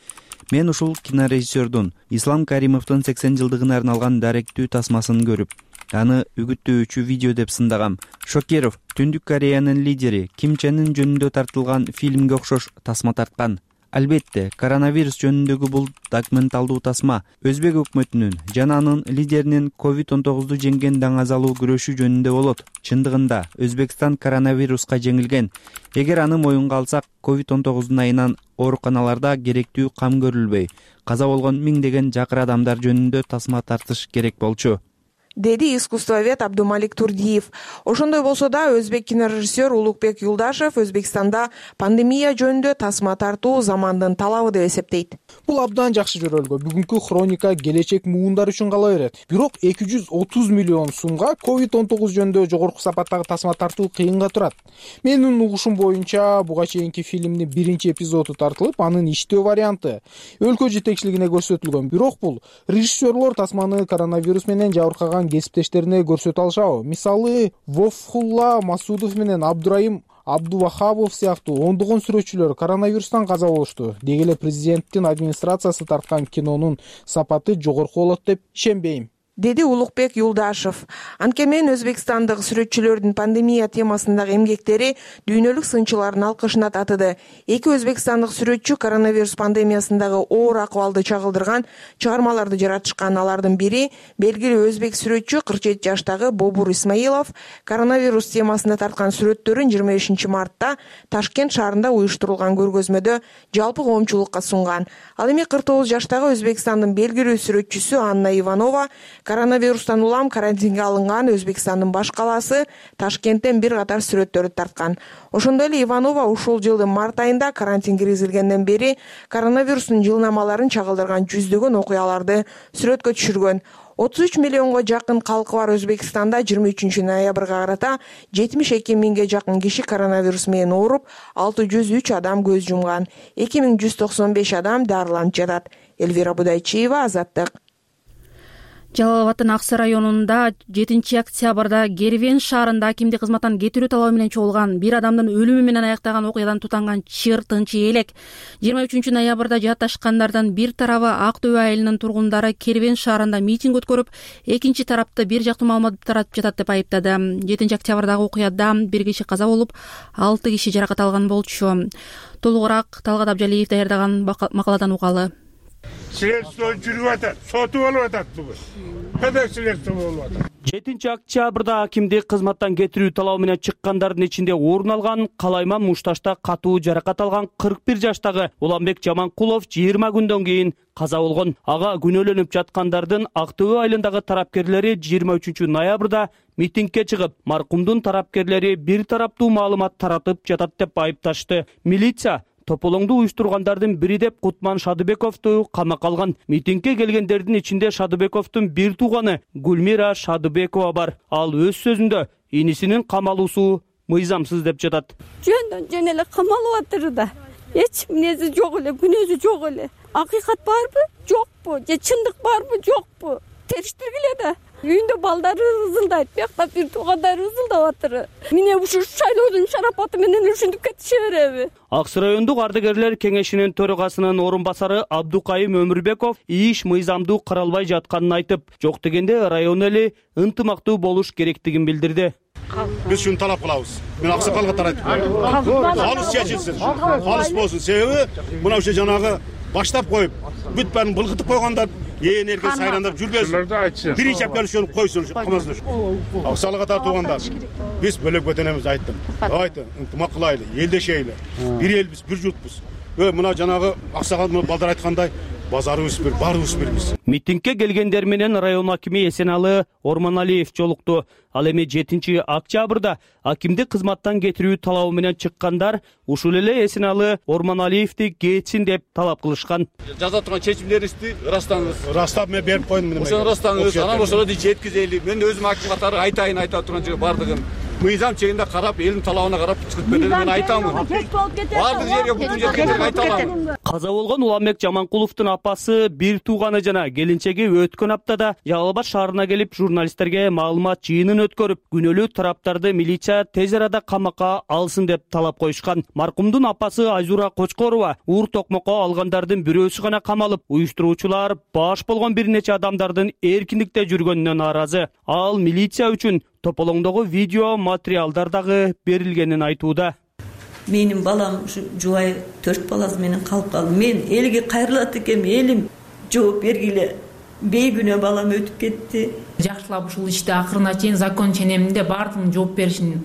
Мен ушул кинорежиссердун Ислам Каримовдун сексен жылдыгына арналган даректүү тасмасын көрүп, аны үгүттөөчү видео деп сындагам. Шокиров Түндүк Кореянын лидери Ким Чен Ын жөнүндө тартылган фильмге окшош тасма тарткан. Албетте, коронавирус жөнүндөгү бул документалдуу тасма өзбек өкмөтүнүн жана анын лидеринин ковид он тогузду жеңген даңазалуу күрөшү жөнүндө болот. Чындыгында Өзбекстан коронавируска жеңилген. Эгер аны моюнга алсак, ковид он тогуздун айынан ооруканаларда керектүү кам көрүлбөй, каза болгон миңдеген жакыр адамдар жөнүндө тасма тартыш керек болчу, деди искусствовед Абдумалик Турдиев. Ошондой болсо да өзбек кинорежиссер Улукбек Юлдашев Өзбекстанда пандемия жөнүндө тасма тартуу замандын талабы деп эсептейт. Бул абдан жакшы жөрөлгө. Бүгүнкү хроника келечек муундар үчүн кала берет. Бирок эки жүз отуз миллион сумга ковид он тогуз жөнүндө жогорку сапаттагы тасма тартуу кыйынга турат. Менин угушум боюнча буга чейинки фильмдин биринчи эпизоду тартылып, анын иштөө варианты өлкө жетекчилигине көрсөтүлгөн. Бирок бул режиссерлор тасманы коронавирус менен жабыркаган кесиптештерине көрсөтө алышабы. Мисалы, Вофхулла Масудов менен Абдурайым Абдувахабов сыяктуу ондогон сүрөтчүлөр коронавирустан каза болушту. Деги эле президенттин администрациясы тарткан кинонун сапаты жогорку болот деп ишенбейм, деди Улукбек Юлдашев. Анткени менен өзбекстандык сүрөтчүлөрдүн пандемия темасындагы эмгектери дүйнөлүк сынчылардын алкышына татыды. Эки өзбекстандык сүрөтчү коронавирус пандемиясындагы оор акыбалды чагылдырган чыгармаларды жаратышкан. Алардын бири белгилүү өзбек сүрөтчү кырк жети жаштагы Бобур Исмаилов коронавирус темасында тарткан сүрөттөрүн жыйырма бешинчи мартта Ташкент шаарында уюштурулган көргөзмөдө жалпы коомчулукка сунган. Ал эми кырк тогуз жаштагы Өзбекстандын белгилүү сүрөтчүсү Анна Иванова коронавирустан улам карантинге алынган Өзбекстандын баш калаасы Ташкенттен бир катар сүрөттөрдү тарткан. Ошондой эле Иванова ушул жылдын март айында карантин киргизилгенден бери коронавирустун жылнамаларын чагылдырган жүздөгөн окуяларды сүрөткө түшүргөн. отуз үч миллионго жакын калкы бар Өзбекстанда жыйырма үчүнчү ноябрга карата жетимиш эки миңге жакын киши коронавирус менен ооруп, алты жүз үч адам көз жумган, эки миң жүз токсон беш адам дарыланып жатат. Элвира Будайчиева, Азаттык. Жалал Абаддын Аксы районунда жетинчи октябрда Кервен шаарында акимдик кызматтан кетирүү талабы менен чогулган бир адамдын өлүмү менен аяктаган окуядан тутанган чыр тынчы элек. жыйырма үчүнчү ноябрда жаатташкандардын бир тарабы Ак Төбө айылынын тургундары Кервен шаарында митинг өткөрүп, экинчи тарапты бир жактуу маалымат таратып жатат деп айыптады. жетинчи октябрдагы окуяда бир киши каза болуп, алты киши жаракат алган болчу. Толугураак Талгат Абжалиев даярдаган макаладан угалы. Следствие жүрүп атат, соту болуп атат бүгүн. Кандай следствие болуп атат? жетинчи октябрда акимдик кызматтан кетирүү талабы менен чыккандардын ичинде орун алган Калайман Мушташта катуу жаракат алган кырк бир жаштагы Уланбек Жаманкулов жыйырма күндөн кийин каза болгон. Ага күнөөлөнүп жаткандардын Ак Төбө айылындагы тарапкерлери жыйырма үчүнчү ноябрда митингге чыгып, маркумдун тарапкерлери бир тараптуу маалымат таратып жатат деп айыпташты. Милиция тополоңду уюштургандардын бири деп Кутман Шадыбековду камакка алган. Митингге келгендердин ичинде Шадыбековдун бир тууганы Гүлмира Шадыбекова бар. Ал өз сөзүндө инисинин камалуусу мыйзамсыз деп жатат. Жөндөн жөн эле камалып атыр да. Эч минези жок эле, күнөөсү жок эле. Акыйкат барбы, жокпу? Же чындык барбы, жокпу? Териштиргиле да. Үйүндө балдары ызылдайт, биякта бир туугандары ызылдап атыр. Міне ушу шайлоодун шарапаты менен ушинтип кетише береби? Аксы райондук ардыгерлер кеңешинин төрагасынын орун басары Абдукайым Өмүрбеков иш мыйзамдуу каралбай жатканын айтып, жок дегенде район эли ынтымактуу болуш керектигин билдирди. Биз шуну талап кылабыз. Мен аксакалга тарайтып коем. Калыс чечилсин, калыс болсун. Себеби мына ушул жанагы баштап коюп, бүт баарын былгытып койгондар ээн эрке сайрандап жүрбөсүн. Биринчи апкелишип койсун, камасын. Аксалга тартуугандар. Биз бөлөп кетенебиз, айттым. Давайте ынтымак кылайлы, элдешейли. Бир элбиз, бир журтпуз. Ө мына жанагы аксагал балдар айткандай базарыбыз бир, баарыбыз бирбиз. Митингге келгендер менен район акими Эсеналы Орманалиев жолукту. Ал эми жетинчи октябрда акимдик кызматтан кетирүү талабы менен чыккандар ушул эле Эсеналы Орманалиевди кетсин деп талап кылышкан. Жаза турган чечимдериңизди ырастаңыз. Ырастап мен берип койдум. Ошону ырастаңыз, анан ошого жеткизели. Мен өзүм аким катары айтайын айта турган жери бардыгын. Мыйзам чегинде карап, элдин талабына карап чыгып берди, мен айтамын. Бардык жерге бүтүн жерге айта алам. Каза болгон Уланбек Жаманкуловдун апасы, бир тууганы жана келинчеги өткөн аптада Жалал Абад шаарына келип журналисттерге маалымат жыйынын өткөрүп, күнөөлүү тараптарды милиция тез арада камакка алсын деп талап коюшкан. Маркумдун апасы Айзура Кочкорова уур токмокко алгандардын бирөөсү гана камалып, уюштуруучулар баш болгон бир нече адамдардын эркиндикте жүргөнүнө нааразы. Ал милиция үчүн тополоңдогу видео материалдар дагы берилгенин айтууда. Менин балам ушу жубай төрт баласы менен калып калды. Мен элге кайрылат экем, элим жооп бергиле. Бейгүнөө балам өтүп кетти. Жакшылап ушул ишти акырына чейин закон ченеминде баардыгын жооп беришин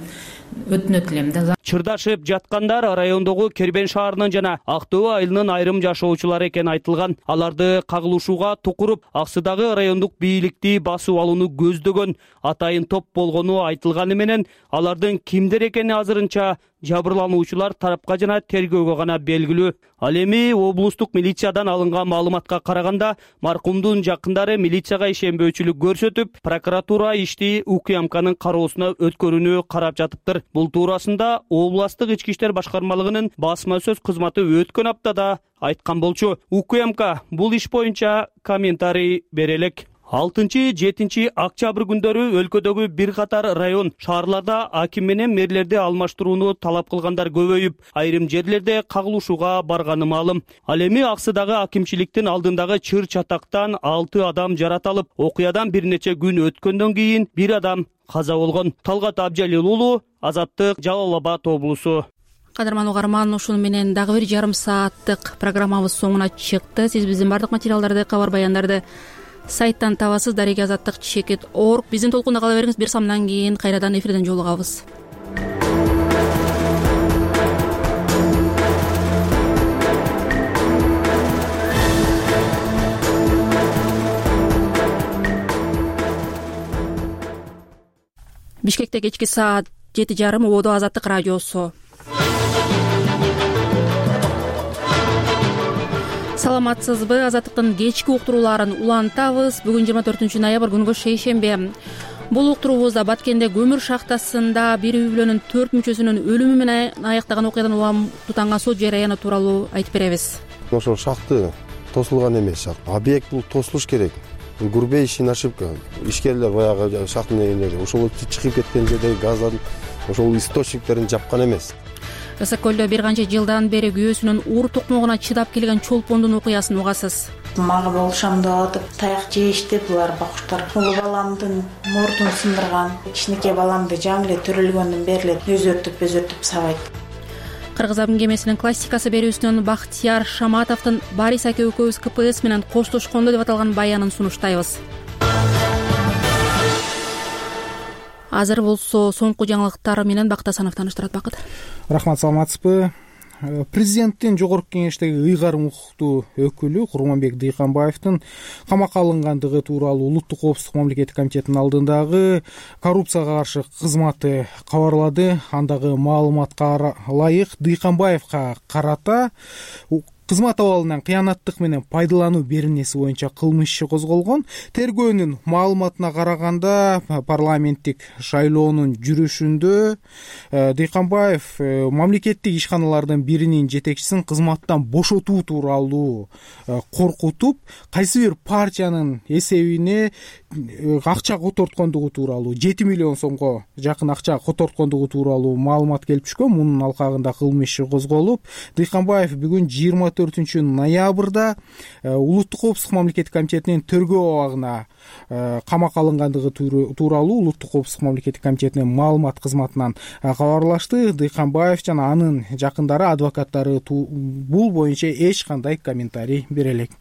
өтүнөт элем да. Чырдашып жаткандар райондогу Кербен шаарынын жана Ак Төбө айылынын айрым жашоочулары экени айтылган. Аларды кагылышууга тукуруп, Аксыдагы райондук бийликти басып алууну көздөгөн атайын топ болгону айтылганы менен алардын кимдер экени азырынча жабырлануучулар тарапка жана тергөөгө гана белгилүү. Ал эми облустук милициядан алынган маалыматка караганда, маркумдун жакындары милицияга ишенбөөчүлүк көрсөтүп, прокуратура ишти УКМКнын кароосуна өткөрүүнү карап жатыптыр. Бул туурасында областык ички иштер башкармалыгынын басма сөз кызматы өткөн аптада айткан болчу. УКМК бул иш боюнча комментарий бере элек. алтынчы жетинчи октябрь күндөрү өлкөдөгү бир катар район шаарларда аким менен мэрлерди алмаштырууну талап кылгандар көбөйүп, айрым жерлерде кагылышууга барганы маалым. Ал эми Аксыдагы акимчиликтин алдындагы чыр чатактан алты адам жаратылып, окуядан бир нече күн өткөндөн кийин бир адам каза болгон. Талгат Абжалил уулу, Азаттык, Жалал Абад облусу. Кадырман угарман, ушуну менен дагы бир жарым сааттык программабыз соңуна чыкты. Сиз биздин бардык материалдарды, кабар баяндарды сайттан табасыз. дареге азаттык чекит точка орг. Биздин толкунда кала бериңиз. Бир самдан кийин кайрадан эфирден жолугабыз. Бишкекте кечки саат жети жарым, Ободо Азаттык радиосу. Саламатсызбы? Азаттыктын кечки уктурууларын улантабыз. Бүгүн жыйырма төртүнчү ноябрь күнгө шейшембе. Бул уктуруубузда Баткенде көмүр шахтасында бир үй бүлөнүн төрт мүчөсүнүн өлүмү менен аяктаган окуядан улам тутанган сот жарыяны тууралуу айтып беребиз. Ошол шахты тосулган эмес шахт. Объект бул тосулуш керек. Грубейший ошибка. Ишкерлер баягы шахтын ээлери ошол чыгып кеткен жердеги газдын ошол источниктерин жапкан эмес. Ысык көлдө бир канча жылдан бери күйөөсүнүн уур токмогуна чыдап келген чолпондун окуясын угасыз. Мага болушам деп атып, таяк жейишти булар бакуштар. Улуу баламдын мурдун сындырган, кичинекей баламды жаңы эле төрөлгөндөн бери эле өзөртүп өзөртүп сабайт. Кыргыз абын кемесинин классикасы берүүсүнөн Бактияр Шаматовдун Барис аке экөөбүз ка пэ эс менен коштошкондо деп аталган баянын сунуштайбыз. Азыр болсо соңку жаңылыктар менен Бактасанов тааныштырат. Бакыт. Рахмат, саламатсызбы? Президенттин жогорку кеңештеги ыйгарым укуктуу өкүлү Курманбек Дыйканбаевдин камакка алынгандыгы тууралуу Улуттук коопсуздук мамлекеттик комитетинин алдындагы коррупцияга каршы кызматы кабарлады. Андагы маалыматка ылайык Дыйканбаевга карата кызмат абалынан кыянаттык менен пайдалануу беренеси боюнча кылмыш иши козголгон. Тергөөнүн маалыматына караганда парламенттик шайлоонун жүрүшүндө Дыйканбаев мамлекеттик ишканалардын биринин жетекчисин кызматтан бошотуу тууралуу коркутуп, кайсы бир партиянын эсебине акча которткондугу тууралуу, жети миллион сомго жакын акча которткондугу тууралуу маалымат келип түшкөн. Мунун алкагында кылмыш иши козголуп, Дыйканбаев бүгүн жыйырма төртүнчү ноябрда Улуттук коопсуздук мамлекеттик комитетинин тергөө абагына камакка алынгандыгы тууралуу Улуттук коопсуздук мамлекеттик комитетинин маалымат кызматынан кабарлашты. Дыйканбаев жана анын жакындары, адвокаттары бул боюнча эч кандай комментарий бере элек.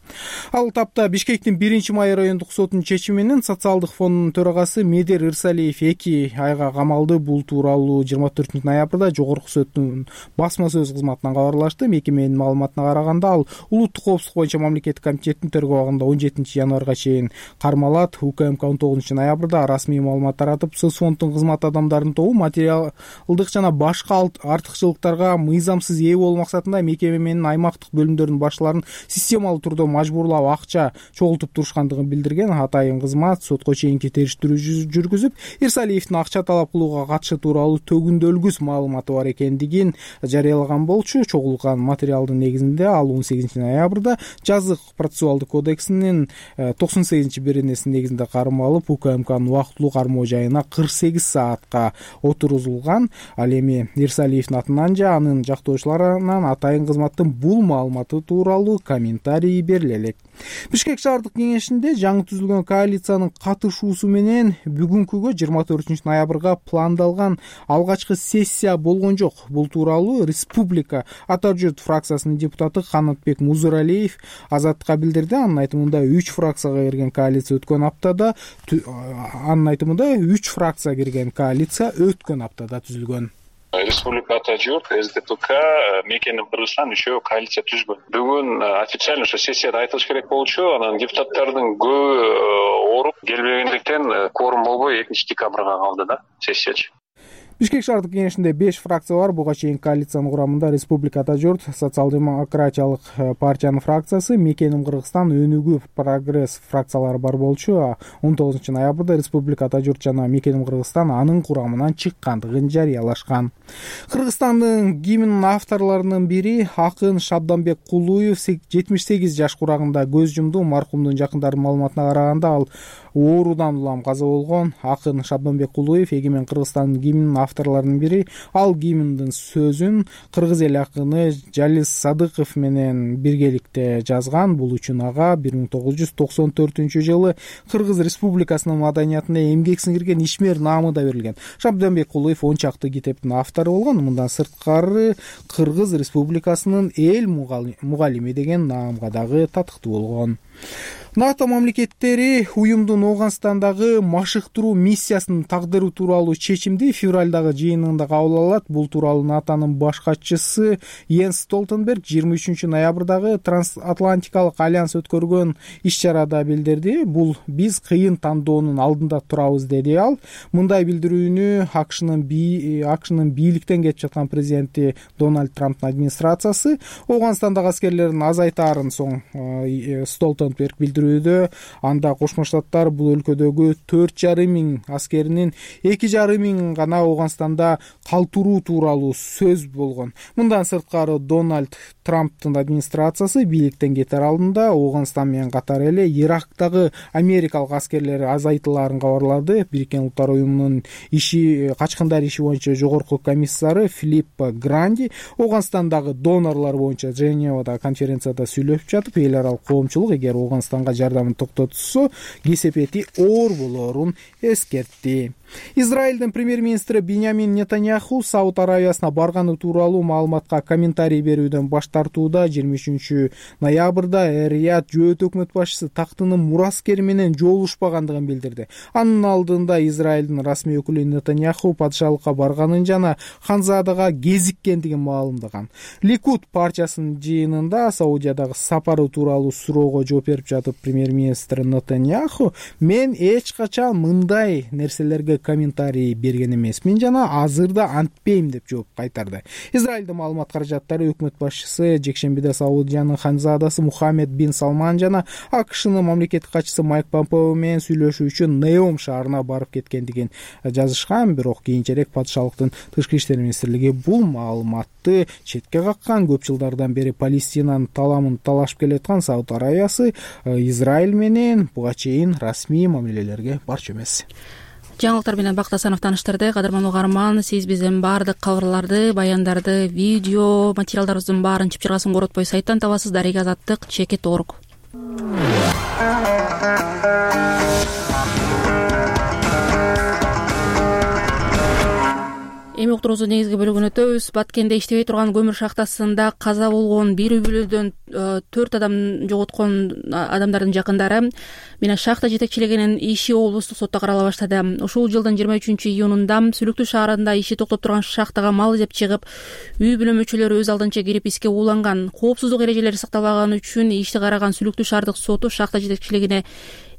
Ал тапта Бишкектин биринчи май райондук сотунун чечими менен социалдык фондунун төрагасы Медер Ирсалиев эки айга камалды. Бул тууралуу жыйырма төртүнчү ноябрда жогорку соттун басма сөз кызматынан кабарлашты. Мекеменин маалыматына караганда, ал Улуттук коопсуздук боюнча мамлекеттик комитеттин тергөө абагында он жетинчи январга чейин кармалат. УКМК он тогузунчу ноябрда расмий маалымат таратып, соцфонддун кызмат адамдарынын тобу материалдык жана башка артыкчылыктарга мыйзамсыз ээ болуу максатында мекеме менен аймактык бөлүмдөрдүн башчыларын системалуу түрдө мажбурлап акча чогултуп турушкандыгын билдирген. Атайын кызмат сотко чейинки териштирүү жүргүзүп, Ирсалиевдин акча талап кылууга катышы тууралуу төгүндөлгүс маалыматы бар экендигин жарыялаган болчу. Чогулган материалдын негизинде ал он сегизинчи ноябрда жазык процессуалдык кодексинин токсон сегизинчи беренесинин негизинде кармалып, УКМКнын убактылуу кармоо жайына кырк сегиз саатка отургузулган. Ал эми Ирсалиевдин атынан же анын жактоочуларынан атайын кызматтын бул маалыматы тууралуу комментарий бериле элек. Бишкек шаардык кеңешинде жаңы түзүлгөн коалициянын катышуусу менен бүгүнкүгө жыйырма төртүнчү ноябрга пландалган алгачкы сессия болгон жок. Бул тууралуу Республика Ата журт фракциясынын депутаты Канатбек Музуралиев Азаттыкка билдирди. Анын айтымында үч фракцияга кирген коалиция өткөн аптада анын айтымында үч фракция кирген коалиция өткөн аптада түзүлгөн. Республика Ата журт, эс дэ пэ ка мекенин кыргызстан үчөө коалиция түзгөн. Бүгүн официально ошо сессияда айтылыш керек болчу. Анан депутаттардын көбү ооруп келбегендиктен кворум болбой экинчи декабрга калды да сессиячы. Бишкек шаардык кеңешинде беш фракция бар. Буга чейин коалициянын курамында Республика Ата журт, Социал-демократиялык партиянын фракциясы, Мекеним Кыргызстан, Өнүгүү, Прогресс фракциялары бар болчу. он тогузунчу ноябрда Республика Ата журт жана Мекеним Кыргызстан анын курамынан чыккандыгын жарыялашкан. Кыргызстандын гимнинин авторлорунун бири акын Шабданбек Кулуев жетимиш сегиз жаш курагында көз жумду. Маркумдун жакындарынын маалыматына караганда ал оорудан улам каза болгон. Акын Шабданбек Кулуев Эгемен Кыргызстандын гимнинин авторлорунун бири. Ал гимндин сөзүн кыргыз эл акыны Жалис Садыков менен биргеликте жазган. Бул үчүн ага бир миң тогуз жүз токсон төртүнчү жылы Кыргыз Республикасынын маданиятына эмгек сиңирген ишмер наамы да берилген. Шабданбек Кулуев он чакты китептин автору болгон. Мындан сырткары Кыргыз Республикасынын эл мугалими деген наамга дагы татыктуу болгон. НАТО мамлекеттери уюмдун Ооганстандагы машыктыруу миссиясынын тагдыры тууралуу чечимди февралдагы жыйынында кабыл алат. Бул тууралуу НАТОнун баш катчысы Йенс Столтенберг жыйырма үчүнчү ноябрдагы Трансатлантикалык альянс өткөргөн иш-чарада билдирди. Бул биз кыйын тандоонун алдында турабыз, деди ал. Мындай билдирүүнү АКШнын АКШнын бийликтен кетип жаткан президенти Дональд Трамптын администрациясы Ооганстандагы аскерлерин азайтаарын соң Столтенберг билдирүүдө. Анда Кошмо Штаттар бул өлкөдөгү төрт жарым миң аскеринин эки жарым миң гана Ооганстанда калтыруу тууралуу сөз болгон. Мындан сырткары Дональд Трамптын администрациясы бийликтен кетер алдында Ооганстан менен катар эле Ирактагы америкалык аскерлери азайтылаарын кабарлады. Бириккен Улуттар уюмунун иши качкындар иши боюнча жогорку комиссары Филиппо Гранди Ооганстандагы донорлор боюнча Женевада конференцияда сүйлөшүп жатып, эл аралык коомчулук эгер Ооганстанга жардамын токтотсо кесепети оор болоорун эскертти. Израилдин премьер-министри Биньямин Нетаньяху Сауд Аравиясына барганы тууралуу маалыматка комментарий берүүдөн баш тартууда. жыйырма үчүнчү ноябрда Эр-Рияд жөөт өкмөт башчысы тактынын мураскери менен жолугушпагандыгын билдирди. Анын алдында Израилдин расмий өкүлү Нетаньяху падышалыкка барганын жана Ханзадага кезиккендигин маалымдаган. Ликуд партиясынын жыйынында Саудиядагы сапары тууралуу суроого жооп берип жатып, премьер-министр Нетаньяху мен эч качан мындай нерселерге комментарий берген эмесмин жана азырда антпейм деп жооп кайтарды. Израилдин маалымат каражаттары өкмөт башчысы жекшембиде Саудиянын ханзадасы Мухаммед бин Салман жана АКШнын мамлекеттик катчысы Майк Помпео менен сүйлөшүү үчүн Неом шаарына барып кеткендигин жазышкан. Бирок кийинчерээк падышалыктын тышкы иштер министрлиги бул маалыматты четке каккан. Көп жылдардан бери Палестинанын таламын талашып келаткан Сауд Аравиясы Израиль менен буга чейин расмий мамилелерге барчу эмес. Жаңылыктар менен Бакыт Асанов тааныштырды. Кадырман угарман, сиз биздин баардык кабарларды, баяндарды, видео материалдарыбыздын баарын чыпчыргасын коротпой сайттан табасыз. Дарега Азаттык чекит точка орг. Эми уктуруубуздун негизги бөлүгүнө өтөбүз. Баткенде иштебей турган көмүр шахтасында каза болгон бир үй бүлөдөн төрт адам жоготкон адамдардын жакындары менен шахта жетекчилигинин иши облустук сотто карала баштады. Ушул жылдын жыйырма үчүнчү июнунда Сүлүктүү шаарында иши токтоп турган шахтага мал изеп чыгып, үй бүлө мүчөлөрү өз алдынча кирип иске ууланган. Коопсуздук эрежелери сакталбаганы үчүн ишти караган Сүлүктүү шаардык соту шахта жетекчилигине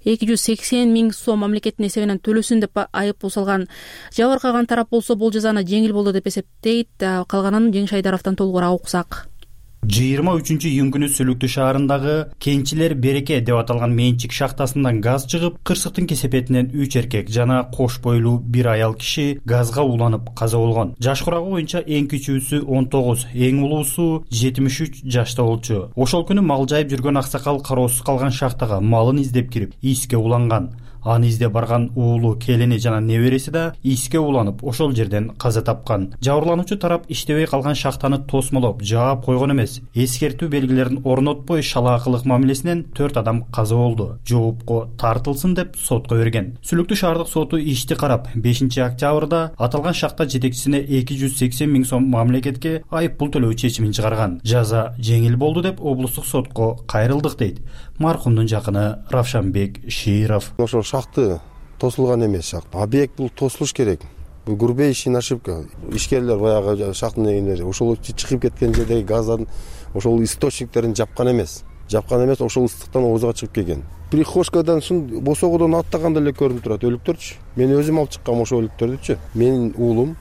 эки жүз сексен миң сом мамлекеттин эсебинен төлөсүн деп айып салган. Жабыркаган тарап болсо бул жазаны жеңил болду деп эсептейт. Калганын Жеңиш Айдаровдон толугураак уксак. жыйырма үчүнчү июнь күнү Сүлүктүү шаарындагы Кенчилер Береке деп аталган менчик шахтасынан газ чыгып, кырсыктын кесепетинен үч эркек жана кош бойлуу бир аял киши газга уланып каза болгон. Жаш курагы боюнча эң кичүүсү он тогуз, эң улуусу жетимиш үч жашта болчу. Ошол күнү мал жайып жүргөн аксакал кароосуз калган шахтага малын издеп кирип, иске уланган. Аны изде барган уулу, келини жана небереси да иске уланып, ошол жерден каза тапкан. Жабырлануучу тарап иштебей калган шахтаны тосмолоп, жаап койгон эмес. Эскертүү белгилерин орнотпой шалаакылык мамилесинен төрт адам каза болду. Жоопко тартылсын деп сотко берген. Сүлүктүү шаардык соту ишти карап, бешинчи октябрда аталган шахта жетекчисине эки жүз сексен миң сом мамлекетке айып пул төлөө чечимин чыгарган. Жаза жеңил болду деп облустук сотко кайрылдык дейт маркумдун жакыны Равшанбек Широв. Ошол шахты тосулган эмес шахт. Объект бул тосулуш керек. Бул грубейший ошибка. Ишкерлер баягы шахтын эгендери ошол чыгып кеткен жердеги газдын ошол источниктерин жапкан эмес. Жапкан эмес, ошол ыстыктан оозуга чыгып келген. Прихожкадан ушун босогодон аттаганда эле көрүнүп турат өлүктөрчү. Мен өзүм алып чыккам ошол өлүктөрдүчү. Менин уулум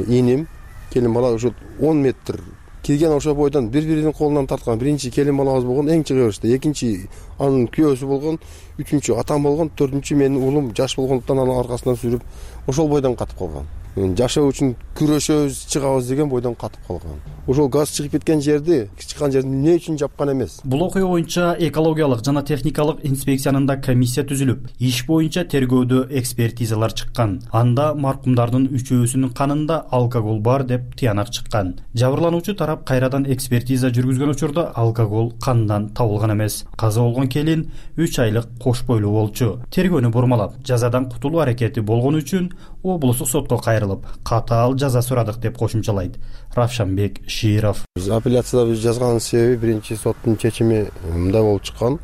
иним келин бала ошо он метр кирген ошо бойдон бири биринин колунан тарткан. Биринчи келин балабыз болгон, эң чыга беришти. Экинчи анын күйөөсү болгон, үчүнчү атам болгон, төртүнчү менин уулум жаш болгондуктан анын аркасынан сүрүп ошол бойдон катып калган. Жашоо үчүн күрөшөбүз, чыгабыз деген бойдон катып калган. Ошол газ чыгып кеткен жерди, чыккан жерди эмне үчүн жапкан эмес. Бул окуя боюнча экологиялык жана техникалык инспекциянын да комиссия түзүлүп, иш боюнча тергөөдө экспертизалар чыккан. Анда маркумдардын үчөөсүнүн канында алкоголь бар деп тыянак чыккан. Жабырлануучу тарап кайрадан экспертиза жүргүзгөн учурда алкоголь кандан табылган эмес. Каза болгон келин үч айлык кош бойлуу болчу. Тергөөнү бурмалап, жазадан кутулуу аракети болгон үчүн облустук сотко кайрылып, катаал жаза сурадык деп кошумчалайт Равшанбек Широв. Апелляцияда биз жазганын себеби биринчи соттун чечими мындай болуп чыккан.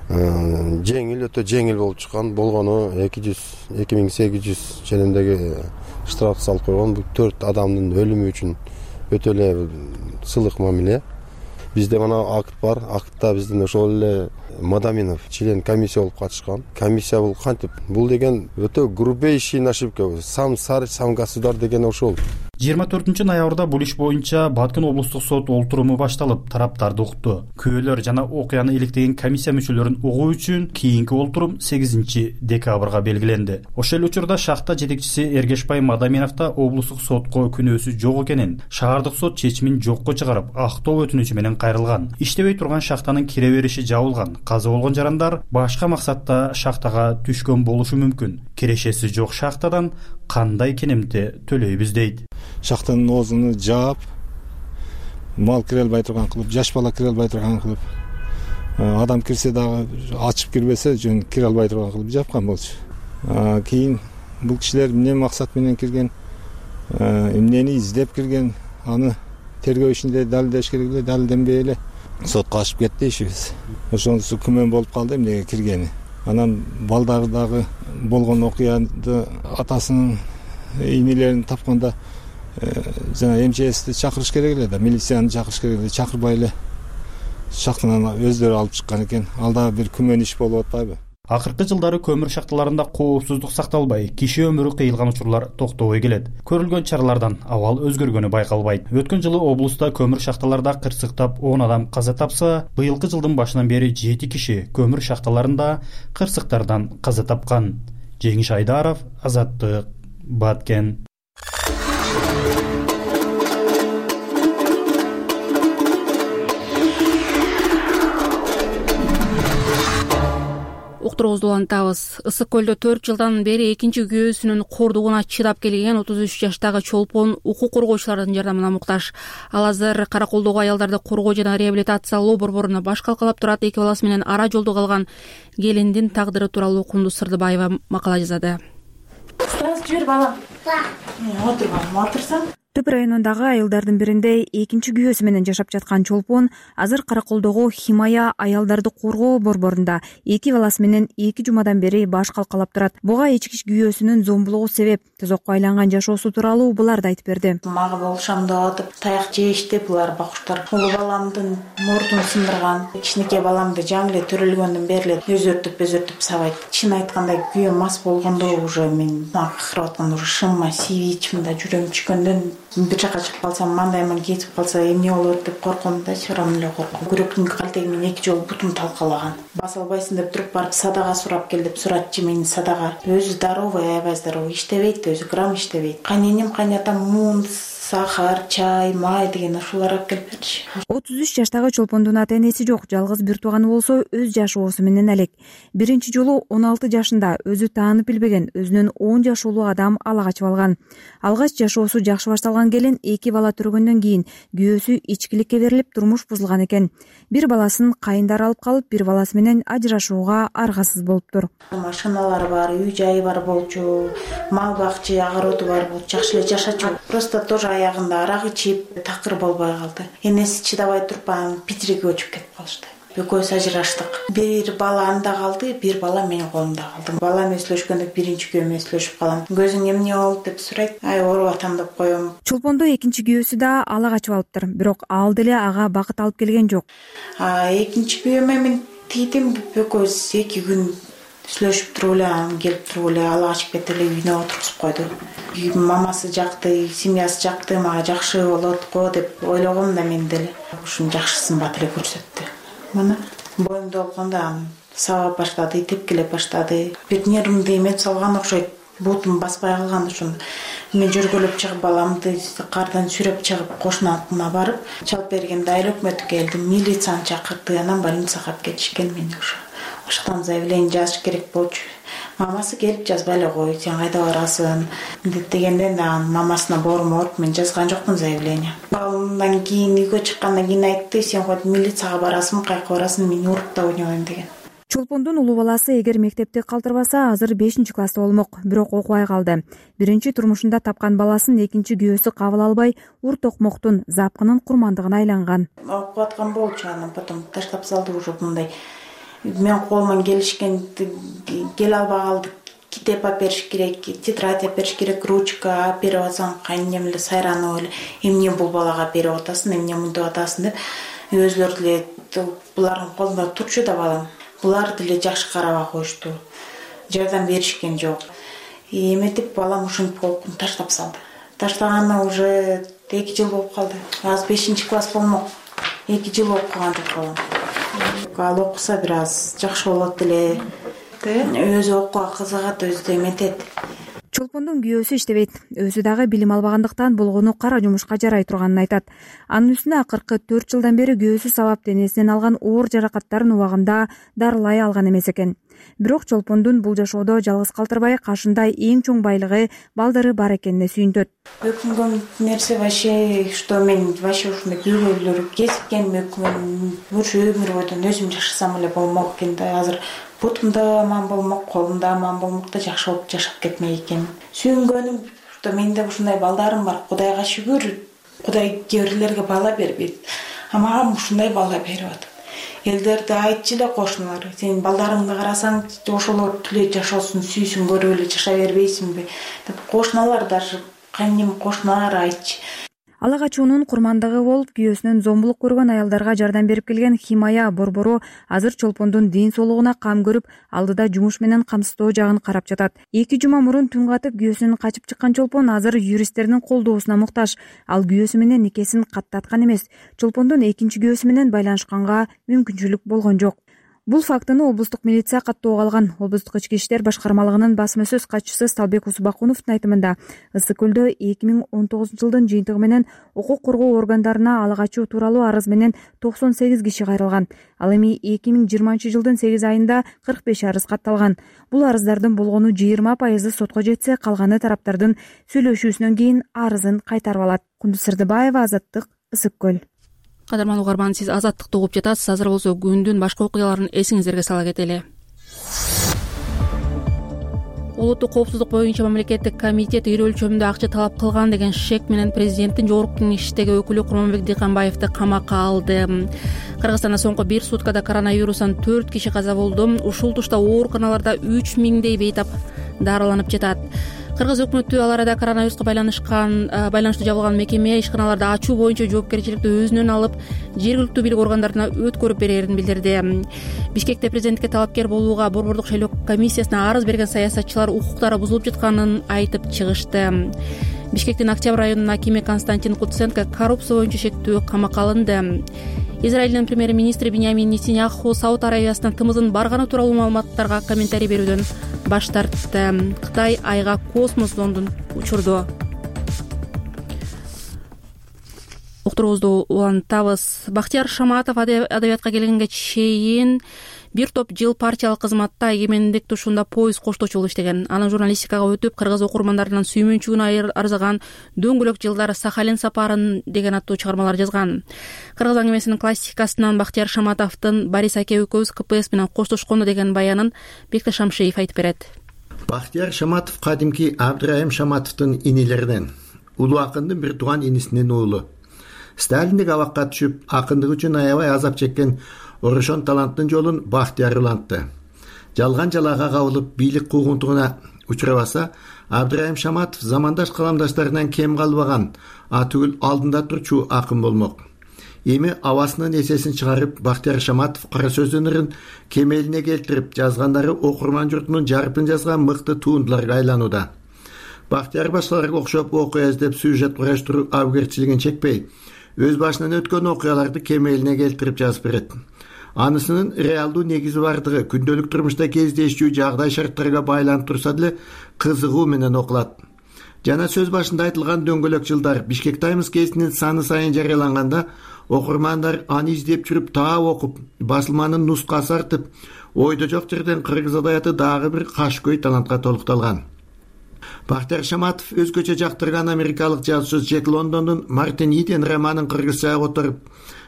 Жеңил, өтө жеңил болуп чыккан. Болгону эки жүз эки миң сегиз жүз ченемдеги штраф салып койгон. Бул төрт адамдын өлүмү үчүн өтө эле сылык мамиле. Бизде мына акт бар. Актта биздин ошол эле Мадаминов член комиссия болуп катышкан. Комиссия бул кантип? Бул деген өтө грубейший ошибка. Сам сар, сам государ деген ошол. жыйырма төртүнчү ноябрда бул иш боюнча Баткен облустук сот олтуруму башталып, тараптарды укту. Күбөлөр жана окуяны иликтеген комиссия мүчөлөрүн угуу үчүн кийинки олтурум сегизинчи декабрга белгиленди. Ошол учурда шахта жетекчиси Эргешбай Мадаминов да облустук сотко күнөөсү жок экенин, шаардык сот чечимин жокко чыгарып, актоо өтүнүчү менен кайрылган. Иштебей турган шахтанын кире бериши жабылган. Каза болгон жарандар башка максатта шахтага түшкөн болушу мүмкүн. Кирешеси жок шахтадан кандай кенемти төлөйбүз дейт. Шахтанын оозуну жаап, мал кире албай турган кылып, жаш бала кире албай турган кылып, адам кирсе дагы ачып кирбесе жөн кире албай турган кылып жапкан болчу. Кийин бул кишилер эмне максат менен кирген, эмнени издеп кирген, аны тергөө ишинде далилдеш керек эле, далилденбей эле сотко ашып кетти ишибиз. Ошонусу күмөн болуп калды эмнеге киргени. Анан балдары дагы болгон окуяды атасынын ийнелерин тапканда жана МЧСти чакырыш керек эле да, милицияны чакырыш керек эле, чакырбай эле шахтанан өздөрү алып чыккан экен. Ал дагы бир күмөн иш болуп атпайбы? Акыркы жылдары көмүр шахталарында коопсуздук сакталбай, киши өмүрү кыйылган учурлар токтобой келет. Көрүлгөн чаралардан абал өзгөргөнү байкалбайт. Өткөн жылы облуста көмүр шахталарда кырсыктап он адам каза тапса, быйылкы жылдын башынан бери жети киши көмүр шахталарында кырсыктардан каза тапкан. Жеңиш Айдаров, Азаттык, Баткен. Уктуруубузду улантабыз. Ысык көлдө төрт жылдан бери экинчи күйөөсүнүн кордугуна чыдап келген отуз үч жаштагы чолпон укук коргоочулардын жардамына муктаж. Ал азыр Караколдогу аялдарды коргоо жана реабилитациялоо борборуна баш калкалап турат. Эки баласы менен ара жолдо калган келиндин тагдыры тууралуу Кундуз Сырдыбаева макала жазады. Жибер балам. Отур балам, отурсаң. Түп районундагы айылдардын биринде экинчи күйөөсү менен жашап жаткан чолпон азыр Караколдогу Химая аялдарды коргоо борборунда эки баласы менен эки жумадан бери баш калкалап турат. Буга ички күйөөсүнүн зомбулугу себеп. Тозокко айланган жашоосу тууралуу буларды айтып берди. Мага болушам деп атып, таяк жешти булар бакуштар. Улуу баламдын мурдун сындырган, кичинекей баламды жаңы эле төрөлгөндөн бери эле өзөртүп өзөртүп сабайт. Чын айтканда күйөөм мас болгондо уже мен акырып атканда уже шымма сиви ичимде жүрөм чүкөндөн бир жака чыгып калсам, мандайман кетип калса эмне болот деп корком да, чырам эле корком. Күрөктүн калтеги менен эки жолу бутум талкалаган. Баса албайсың деп туруп барып садага сурап кел деп суратчы мени садага. Өзү здоровый, аябай здоровый, иштебейт, өзү грамм иштебейт. Кайненем, кайнатам мун, сахар, чай, май деген ушулар алып келип берчү. отуз үч жаштагы чолпондун ата энеси жок, жалгыз бир тууганы болсо өз жашоосу менен алек. Биринчи жолу он алты жашында өзү таанып билбеген өзүнүн он жаш улуу адам ала качып алган. Алгач жашоосу жакшы башталган келин эки бала төргөндөн кийин күйөөсү ичкиликке берилип турмуш бузулган экен. Бир баласын кайындары алып калып, бир баласы менен ажырашууга аргасыз болуптур. Машиналары бар, үй жайы бар болчу, мал бакчы, огороду бар болчу, жакшы эле жашачу. Просто тоже аягында арак ичип такыр болбой калды. Энеси чыдабай туруп анан Питириге көчүп кетип калышты. Экөөбүз ажыраштык. Бир бала анда калды, бир бала менин колумда калды. Балам эслөшкөндө биринчи күйөөм эслөшүп калам. Көзүң эмне болду деп сурайт. Ай, ооруп атам деп коем. Чолпондо экинчи күйөөсү да ала качып алыптыр. Бирок ал деле ага бакыт алып келген жок. А экинчи күйөөмө мен тийдим, экөөбүз эки күн сүйлөшүп туруп эле анан келип туруп эле ала ачып кетип эле үйүнө отургузуп койду. Мамасы жакты, семьясы жакты, мага жакшы болот го деп ойлогом да мен деле. Ушунун жакшысын бат эле көрсөттү. Мына боюмда болгондо саба баштады, тепкилеп баштады. Бир нервимди эметип салган окшойт. Бутум баспай калган ошондо. Мен жөргөлөп чыгып баламды кардан сүйрөп чыгып кошунатына барып, чалып бергенде айыл өкмөтү келди, милицияны чакырды, анан больницага алып кетишкен мени ошо. Ошондон заявление жазыш керек болчу. Мамасы келип жазбай эле кой, сен кайда барасың дегенден да мамасына бормоп мен жазган жокмун заявление. Андан кийин үйгө чыккандан кийин айтты, сен хоть милицияга барасың, кайка барасың, мени уруп да ойнобойм деген. Чолпондун улуу баласы эгер мектепти калтырбаса, азыр бешинчи класста болмок, бирок окубай калды. Биринчи турмушунда тапкан баласын экинчи күйөөсү кабыл албай, ур токмоктун запкынын курмандыгына айланган. Окуп аткан болчу, анан потом таштап салды уже мындай. Мен колуман келишкен келе албай калды. Китеп алып бериш керек, тетрадь алып бериш керек, ручка алып берип атсаң, кайнем эле сайранып эле, эмне бул балага берип атасың, эмне мынтип атасың деп өзлөрү деле булардын колунда турчу да балам. Булар деле жакшы карабай коюшту. Жардам беришкен жок. Эметип балам ушинтип колун таштап салды. Таштаганына уже эки жыл болуп калды. Азыр бешинчи класс болмок. эки жыл окуган деп калам. Ал окуса бир аз жакшы болот эле. Өзү окууга кызыгат, өзү эметет. Чолпондун күйөөсү иштебейт. Өзү дагы билим албагандыктан болгону кара жумушка жарай турганын айтат. Анын үстүнө акыркы төрт жылдан бери күйөөсү сабап денесинен алган оор жаракаттарын убагында дарылай алган эмес экен. Бирок Чолпондун бул жашоодо жалгыз калтырбай, кашында эң чоң байлыгы балдары бар экенине сүйүнтөт. Өкүнгөн нерсе вообще, что мен вообще ушундай күйөөлөр кезиккен өкүнөм. Ушу өмүр бойдон өзүм жашасам эле болмок экен да. Азыр бутумда аман болмок, колумда аман болмок да жакшы болуп жашап кетмек экен. Сүйүнгөнүм, что менде ушундай балдарым бар. Кудайга шүгүр. Кудай кээ бирлерге бала бербейт. А мага ушундай бала берип атат. Элдерде айтчу эле кошуналар, сен балдарыңды карасаң, ошолор тиле жашоосун сүйсүн, көрүп эле жашай бербейсиңби деп кошуналар, даже кайнем кошуналар айтчу. Ала качуунун курмандыгы болуп, күйөөсүнөн зомбулук көргөн аялдарга жардам берип келген Химая Борбору азыр Чолпондун ден соолугуна кам көрүп, алдыда жумуш менен камсыздоо жагын карап жатат. Эки жума мурун түн катып күйөөсүнөн качып чыккан Чолпон азыр юристтердин колдоосуна муктаж. Ал күйөөсү менен никесин каттаткан эмес. Чолпондун экинчи күйөөсү менен байланышканга мүмкүнчүлүк болгон жок. Бул фактыны облустук милиция каттоого алган. Облустук ички иштер башкармалыгынын басма сөз катчысы Сталбек Усубакуновдун айтымында, Ысык көлдө эки миң он тогузунчу жылдын жыйынтыгы менен укук коргоо органдарына ала качуу тууралуу арыз менен токсон сегиз киши кайрылган. Ал эми эки миң жыйырманчы жылдын сегиз айында кырк беш арыз катталган. Бул арыздардын болгону жыйырма пайызы сотко жетсе, калганы тараптардын сүйлөшүүсүнөн кийин арызын кайтарып алат. Кундуз Сырдыбаева, Азаттык, Ысык көл. Кадырман угарман, сиз Азаттыкты угуп жатасыз. Азыр болсо күндүн башка окуяларын эсиңиздерге сала кетели. Улуттук коопсуздук боюнча мамлекеттик комитет ири өлчөмдө акча талап кылган деген шек менен президенттин жогорку кеңештеги өкүлү Курманбек Дыйканбаевди камакка алды. Кыргызстанда соңку бир суткада коронавирустан төрт киши каза болду. Ушул тушта ооруканаларда үч миңдей бейтап дарыланып жатат. Кыргыз өкмөтү ал арада коронавируска байланышкан байланыштуу жабылган мекеме ишканаларды ачуу боюнча жоопкерчиликти өзүнөн алып, жергиликтүү бийлик органдарына өткөрүп берерин билдирди. Бишкекте президентке талапкер болууга борбордук шайлоо комиссиясына арыз берген саясатчылар укуктары бузулуп жатканын айтып чыгышты. Бишкектин Октябрь районунун акими Константин Куценко коррупция боюнча шектүү камакка алынды. Израилдин премьер-министри Биньямин Нетаньяху Сауд Аравиясынан тымыздын барганы тууралуу маалыматтарга комментарий берүүдөн баш тартты. Кытай айга космос зондун учурду. Уктуруубузду улантабыз. Бактияр Шаматов адабиятка келгенге чейин бир топ жыл партиялык кызматта эгемендик тушунда поезд коштоочу болуп иштеген. Анын журналистикага өтүп, кыргыз окурмандарынын сүймөнчүгүн арзаган Дөңгөлөк жылдар, Сахалин сапарын деген аттуу чыгармалар жазган. Кыргыз аңгемесинин классикасынан Бактияр Шаматовдун Борис аке экөөбүз ка пэ эс менен коштошкондо деген баянын Бекташ Шамшиев айтып берет. Бактияр Шаматов кадимки Абдрайым Шаматовдун инилеринен, улуу акындын бир тууган инисинин уулу. Сталиндик абакка түшүп, акындык үчүн аябай азап чеккен Орошон таланттын жолун Бактияр улантты. Жалган жалаага кабылып, бийлик куугунтугуна учурабаса, Абдрайым Шаматов замандаш каламдаштарынан кем калбаган, атүгүл алдында турчу акын болмок. эми абасынын эсесин чыгарып Бактияр Шаматов кара сөздүн ырын кемелине келтирип жазгандары окурман журтунун жарытын жазган мыкты туындыларга айланууда. Бактияр башкаларга окшоп окуя издеп сюжет кураштыруу абгерчилигин чекпей, өз башынан өткөн окуяларды кемелине келтирип жазып берет. Анысынын реалдуу негизи бардыгы күндөлүк турмушта кездешчү жагдай шарттарга байланып турса деле кызыгуу менен окулат. Жана сөз башында айтылган дөңгөлөк жылдар Бишкек Таймс гезитинин саны сайын жарыяланганда окурмандар аны издеп жүрүп таап окуп, басылманын нускасы артып, ойдо жок жерден кыргыз адабияты дагы бир кашкөй талантка толукталган. Бактияр Шаматов өзгөчө жактырган америкалык жазуучу Джек Лондондун Мартин Иден романын кыргызчага которуп,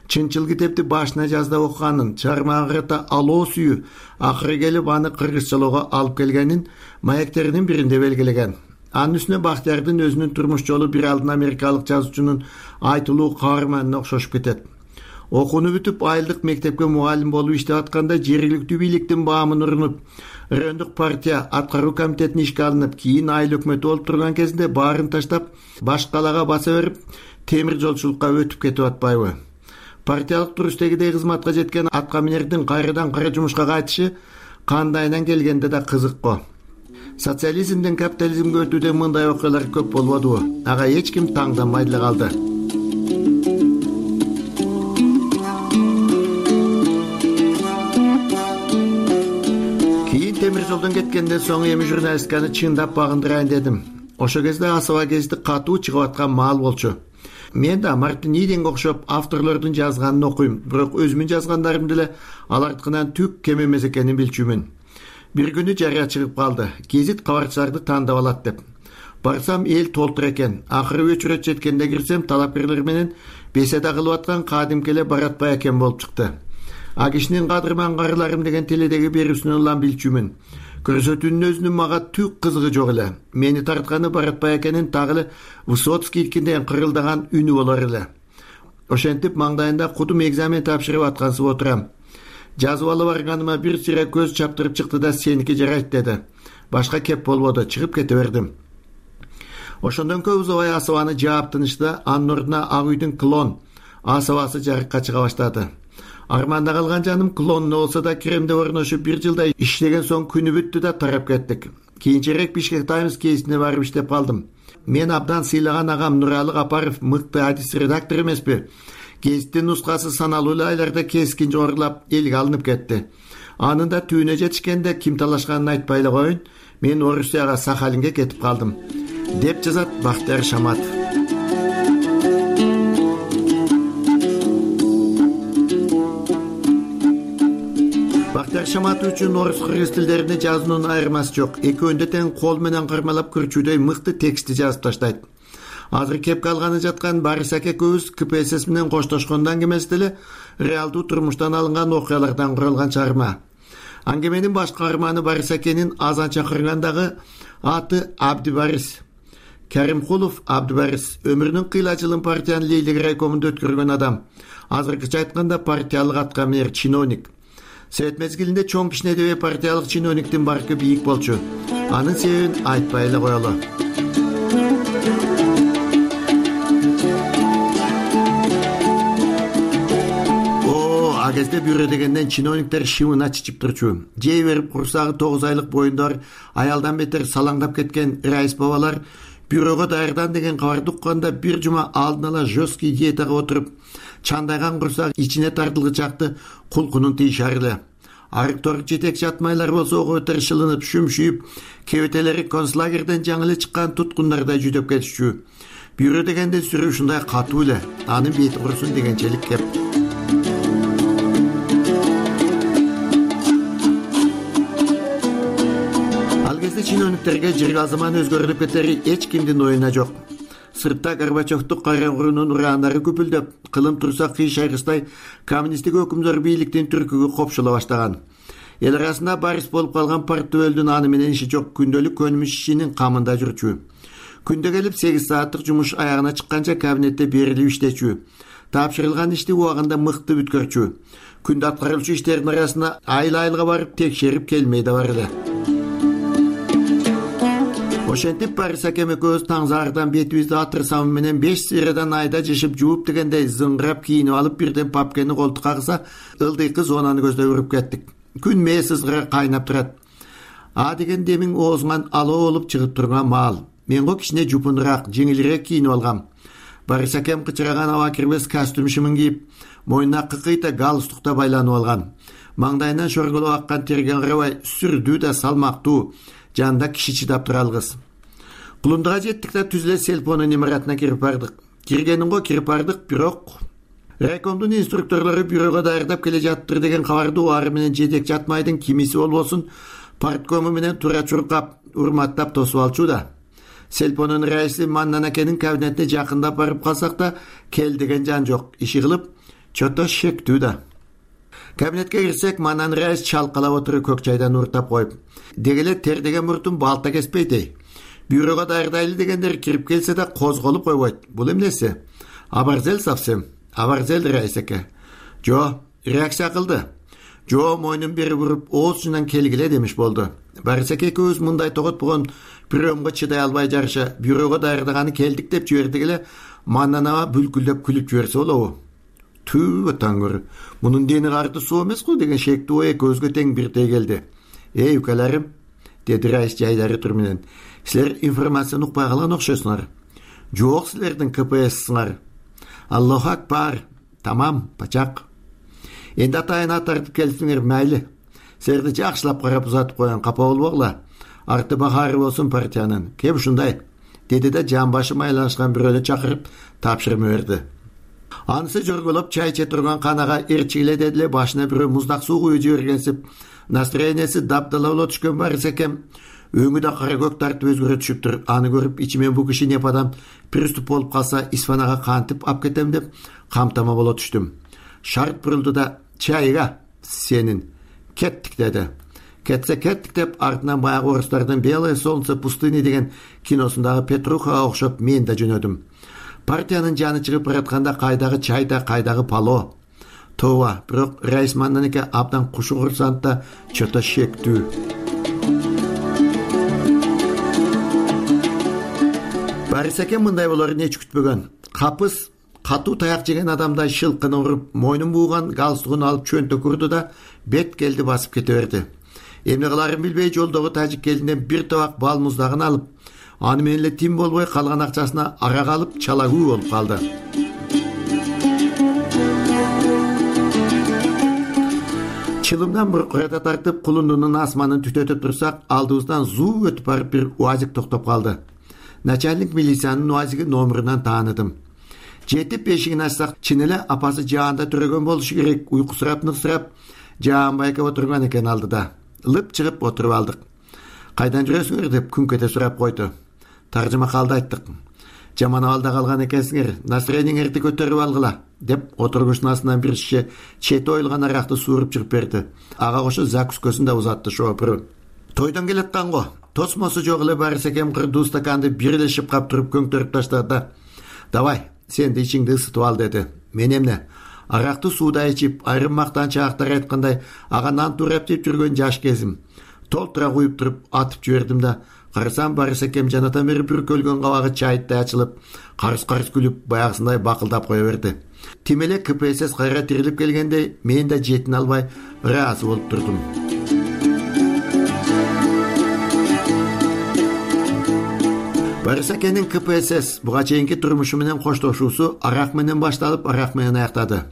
чынчыл китепти башына жазда окуганын, чыгармага карата алоо сүйүү акыры келип аны кыргызчалоого алып келгенин маектеринин биринде белгилеген. Анын үстүнө Бактиярдын өзүнүн турмуш жолу бир алдын америкалык жазуучунун айтылуу каарманына окшошуп кетет. Окууну бүтүп айылдык мектепке мугалим болуп иштеп атканда жергиликтүү бийликтин баамын урунуп, райондук партия аткаруу комитетине ишке алынып, кийин айыл өкмөтү болуп турган кезинде баарын таштап, баш калаага баса берип, темир жолчулукка өтүп кетип атпайбы? Партиялык турустегидей кызматка жеткен атка минердин кайрадан кара жумушка кайтышы кандайынан келгенде да кызык го. Социализмден капитализмге өтүүдө мындай окуялар көп болбодубу? Ага эч ким таңданбай деле калды. Кийин темир жолдон кеткенден соң эми журналистиканы чындап багындырайын дедим. Ошо кезде Асаба гезити катуу чыгып аткан маал болчу. Мен да Мартин Иденге окшоп авторлордун жазганын окуйм, бирок өзүмүн жазгандарым деле алардыкынан түк кем эмес экенин билчүмүн. Бир күнү жарыя чыгып калды. Гезит кабарчыларды тандап алат деп. Барсам эл толтур экен. Акыры өчүрөт жеткенде кирсем, талапкерлер менен беседа кылып аткан кадимки эле Баратбай экен болуп чыкты. А кишинин кадырман карыларым деген теледеги берүүсүнөн улам билчүмүн. Көрсөтүүнүн өзүнүн мага түк кызыгы жок эле. Мени тартканы Баратбай экенин тагы эле Высоцкийдикинден кырылдаган үнү болор эле. Ошентип маңдайында кудум экзамен тапшырып аткансып отурам. Жазып алып барганыма бир сыйра көз чаптырып чыкты да сеники жарайт деди. Башка кеп болбоду, чыгып кете бердим. Ошондон көп узабай Асабаны жаап тынышты, анын ордуна Ак үйдүн клон Асабасы жарыкка чыга баштады. Арманда калган жаным клонуна болсо да Кремде орношуп бир жылдай иштеген соң күнү бүттү да тарап кеттик. Кийинчерээк Бишкек Таймс гезитине барып иштеп калдым. Мен абдан сыйлаган агам Нуралы Капаров мыкты адис редактор эмеспи? Гезиттин нускасы саналуу эле айларда кескин жогорулап элге алынып кетти. Анын да түбүнө жетишкенде ким талашканын айтпай эле коеюн, мен Орусияга Сахалинге кетип калдым, деп жазат Бактияр Шаматов. Бактияр Шаматов үчүн орус кыргыз тилдерине жазуунун айырмасы жок. Экөөндө тең кол менен кармалап көрчүүдөй мыкты текстти жазып таштайт. Азыр кепке алганы жаткан Барис аке көбүз К П С С менен коштошкондо аңгемеси деле реалдуу турмуштан алынган окуялардан куралган чыгарма. Аңгеменин баш каарманы Барис акенин азан чакыргандагы аты Абдибарис. Каримкулов Абдибарис өмүрүнүн кыйла-жылын партиянын Лейлек райкомунда өткөргөн адам. Азыркыча айтканда партиялык атка минер чиновник. Совет мезгилинде чоң кичинедей партиялык чиновниктин баркы бийик болчу. Анын себебин айтпай эле коелу. А кезде бюро дегенден чиновниктер шымына чичип турчу. Жей берип курсагы тогуз айлык боюндар аялдан бетер салаңдап кеткен райыс бабалар бюрого даярдан деген кабарды укканда бир жума алдын ала жесткий диетага отуруп, чандайган курсак ичине тартылгычакты кулкунун тийишар эле. Арыктор жетекчи атмайлар болсо өтөр шылынып, шүмшүйүп, кебетелери концлагерден жаңы эле чыккан туткундардай жүдөп кетишчү. Бюро дегенде сүрүү ушундай катуу эле, анын бети курусун дегенчелик кеп. Чиновниктерге жыргал заман өзгөрүп кетери эч кимдин оюна жок. Сыртта Горбачевду кайраңгуунун ураандары күпүлдөп, кылым турса кый шайгыстай коммунисттик өкүмдөр бийликтин түркүгү копшула баштаган. Эл арасында барис болуп калган партбөлдүн аны менен иши жок, күндөлүк көнүмүш ишинин камында жүрчү. Күндө келип сегиз сааттык жумуш аягына чыкканча кабинетте берилип иштечү. Тапшырылган ишти убагында мыкты бүткөрчү. Күндө аткарылчу иштердин арасында айыл айылга барып текшерип келмей да бар эле. Ошентип Барис акем экөөбүз таңзаардан бетибизди атыр сабын менен беш сыйрадан айда жышып жууп дегендей зыңгырап кийинип алып бирден папкени колтукка кыса ылдыйкы зонаны көздөй уруп кеттик. Күн мээс ызгыра кайнап турат. А деген демиң оозуңан алоо болуп чыгып турган маал. Мен го кичине жупунураак, жеңилирээк кийинип алгам. Барис акем кычыраган аба кирбес костюм шымын кийип, мойнуна кыкыйта галстукта байланып алган. Маңдайынан шорголуп аккан терге карабай сүрдүү да салмактуу, жанында киши чыдап туралгыс. Кулундуга жеттик да түз эле селпонун имаратына кирип бардык. Киргенин го кирип бардык, бирок райкомдун инструкторлору бюрого даярдап келе жаттыр деген кабарды убары менен жетек жатмайдын кимиси болбосун парткому менен тура чуркап, урматтап тосуп алчу да. Селпонун раиси Маннан акенин кабинетине жакындап барып калсак да, кел деген жан жок. Иши кылып, чото шектүү да. Кабинетке кирсек, Маннан раис чалкалап отуруп көк чайдан уртап коюп, дегеле тер деген муртун балта кеспейт. Бюрого даярдайлы дегендер кирип келсе да козголуп койбойт. Бул эмнеси? Абарзел совсем. Абарзел раис аке. Жо, реакция кылды. Жо мойнун бери буруп, оозунан келгиле демиш болду. Барис аке экөөбүз мындай тоготпогон приемго чыдай албай жарыша бюрого даярдаганы келдик деп жибердик эле, Маннан аба бүлкүлдөп күлүп жиберсе болобу? Түү таңгыр. Мунун дени карты суу эмес го деген шектүү ой көзгө тең бирдей келди. Эй укаларым, деди раис жайдары тур менен. Силер информацияны укпай калган окшойсуңар. Жок, силердин ка пэ эссиңар. Аллаху акбар. Тамам, пачак. Энди атайына тартып келсиңер майли. Силерди жакшылап карап узатып коюн, капа болбогула. Арты бахары болсун партиянын. Кеп ушундай, деди да жан башы майланышкан бирөөнү чакырып тапшырма берди. Анысы жорголоп чай иче турган канага эрчигиле дедиле, башына бирөө муздак суу куюп жибергенсип, настроенияси дабдала боло түшкөн Барис акем өңү да кара көк тартып өзгөрө түшүптүр. Аны көрүп ичимен бу киши непадан приступ болуп калса исфанага кантип ап кетем деп камтама боло түштүм. Шарт бурулду да чайга сенин кеттик деди. Кетсе кеттик деп артынан баягы орустардын «Белое солнце пустыни» деген киносундагы Петрухага окшоп мен да жөнөдүм. Партиянын жаны чыгып баратканда кайдагы чай да, кайдагы пало. Тооба, бирок раис Маннан аке абдан кушугурсант да чото шектүү. Барис аке мындай болорун эч күтпөгөн. Капыс катуу таяк жеген адамдай шылкыны уруп, мойнун бууган галстугун алып чөнтөк урду да бет келди басып кете берди. Эмне кыларын билбей жолдогу тажик келинден бир табак бал муздагын алып, аны менен эле тим болбой калган акчасына арак алып чалагүү болуп калды. Чылымдан буркурата тартып кулундунун асманын түтөтүп турсак, алдыбыздан зуу өтүп барып бир УАЗик токтоп калды. Начальник милициянын УАЗиги номерунан тааныдым. Жетип эшигин ачсак, чын эле апасы жаанда төрөгөн болушу керек. Уйкусурап ныксырап, жаан байкап отурган экен алдыда. Лып чыгып отуруп алдык. Кайдан жүрөсүңөр деп күнкете сурап койду. Таржыма калды айттык. Жаман абалда калган экенсиңер, настроениңерди көтөрүп алгыла деп отургучунун астынан бир шише чет оюлган аракты сууруп чыгып берди. Ага кошо закускөсүн да узатты шоопуру. Тойдон келаткан го. Тосмосу жок эле Барис акем кырдуу стаканды бир эле шыпкап туруп көңтөрүп таштады. Давай, сен де ичиңди ысытып ал деди. Мен эмне? Аракты сууда ичип, айрым мактанчаактар айткандай, ага нан турап деп жүргөн жаш кезим. Толтура куюп туруп атып жибердим да, карасам Барис акем жанатан бери бүркөлгөн кабагы чайыттай ачылып, карыс-карыс күлүп, баягысындай бакылдап кое берди. Тим эле ка пэ эс кайра тирилип келгендей, мен да жетин албай ыраазы болуп турдум. Барис акенин ка пэ эс буга чейинки турмушу менен коштошуусу арак менен башталып, арак менен аяктады.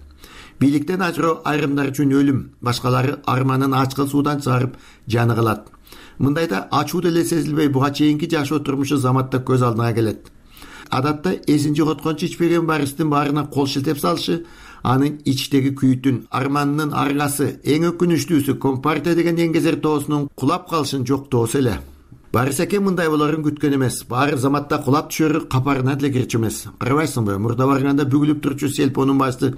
Бийликтен ажыроо айрымдар үчүн өлүм, башкалары арманын ачкыл суудан чыгарып жаны калат. Мындайда ачуу деле сезилбей буга чейинки жашоо турмушу заматта көз алдына келет. Адатта эсин жоготкончу ичпеген Баристин баарына кол шилтеп салышы, анын ичтеги күйүтүн, арманынын аргасы, эң өкүнүчтүүсү Компартия деген эңгезер тоосунун кулап калышын жоктоосу эле. Барис аке мындай болорун күткөн эмес. Баары заматта кулап түшөрү капарына деле кирчү эмес. Карабайсыңбы, мурда барганда бүгүлүп турчу селпонун башты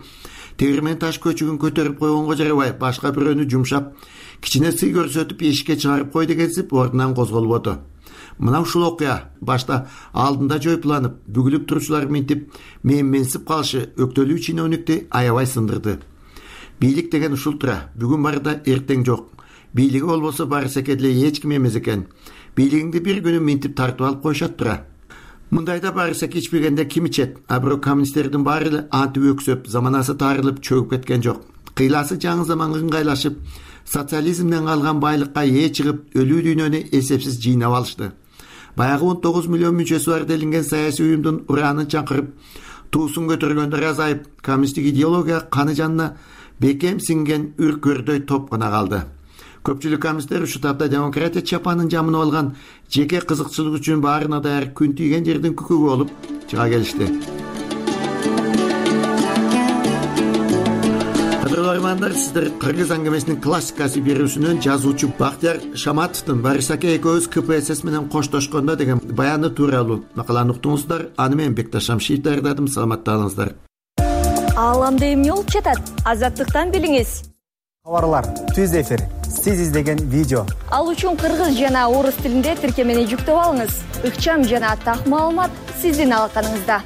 тегирмен таш көчүгүн көтөрүп койгонго жарабай, башка бирөөнү жумшап, кичине сый көрсөтүп эшикке чыгарып кой дегенсип ордунан козголуп оту. Мына ушул окуя башта алдында жойпуланып, бүгүлүп турчулар минтип, менменсип калышы өктөлүү чиновникти аябай сындырды. Бийлик деген ушул тура, бүгүн барда эртең жок. Бийлиги болбосо Барис аке деле эч ким эмес экен. бийлигиңди бир күнү минтип тартып алып коюшат тура. Мындайда барса кичпегенде ким ичет? А бирок коммунисттердин баары эле антип өксөп, заманасы тарылып чөгүп кеткен жок. Кыйласы жаңы заманга ыңгайлашып, социализмден калган байлыкка ээ чыгып, өлүү дүйнөнү эсепсиз жыйнап алышты. Баягы он тогуз миллион мүчөсү бар делинген саясий уюмдун ураанын чаңкырып, туусун көтөргөндөр азайып, коммунисттик идеология каны жанына бекем сиңген үркөрдөй топ гана калды. Көпчүлүк коммунисттер ушул тапта демократия чапанын жамынып алган, жеке кызыкчылык үчүн баарына даяр күн тийген жердин күкүгү болуп чыга келишти. Кадырлармандар, сиздер Кыргыз аңгемесинин классикасы берүүсүнөн жазуучу Бактияр Шаматовдун Барисаке экөөбүз К П С С менен коштошкондо деген баяны тууралуу макаланы уктуңуздар. Аны мен Бекташ Шамшиев даярдадым. Саламатта калыңыздар. Ааламда эмне болуп жатат? Азаттыктан билиңиз. Кабарлар, түз эфир. Сиз издеген видео. Ал үчүн кыргыз жана орус тилинде тиркемени жүктөп алыңыз. Ыкчам жана так маалымат сиздин алаканыңызда.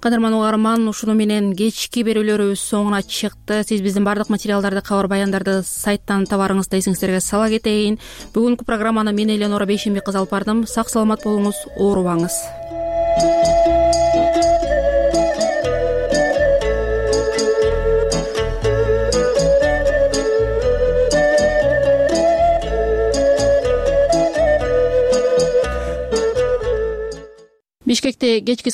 Кадырман угарман, ушуну менен кечки берүүлөрүбүз соңуна чыкты. Сиз биздин бардык материалдарды, кабар баяндарды сайттан табарыңызды эсиңиздерге сала кетейин. Бүгүнкү программаны мен Эленора Бейшембек кызы алып бардым. Сак саламат болуңуз, оорубаңыз. Бишкекте кечки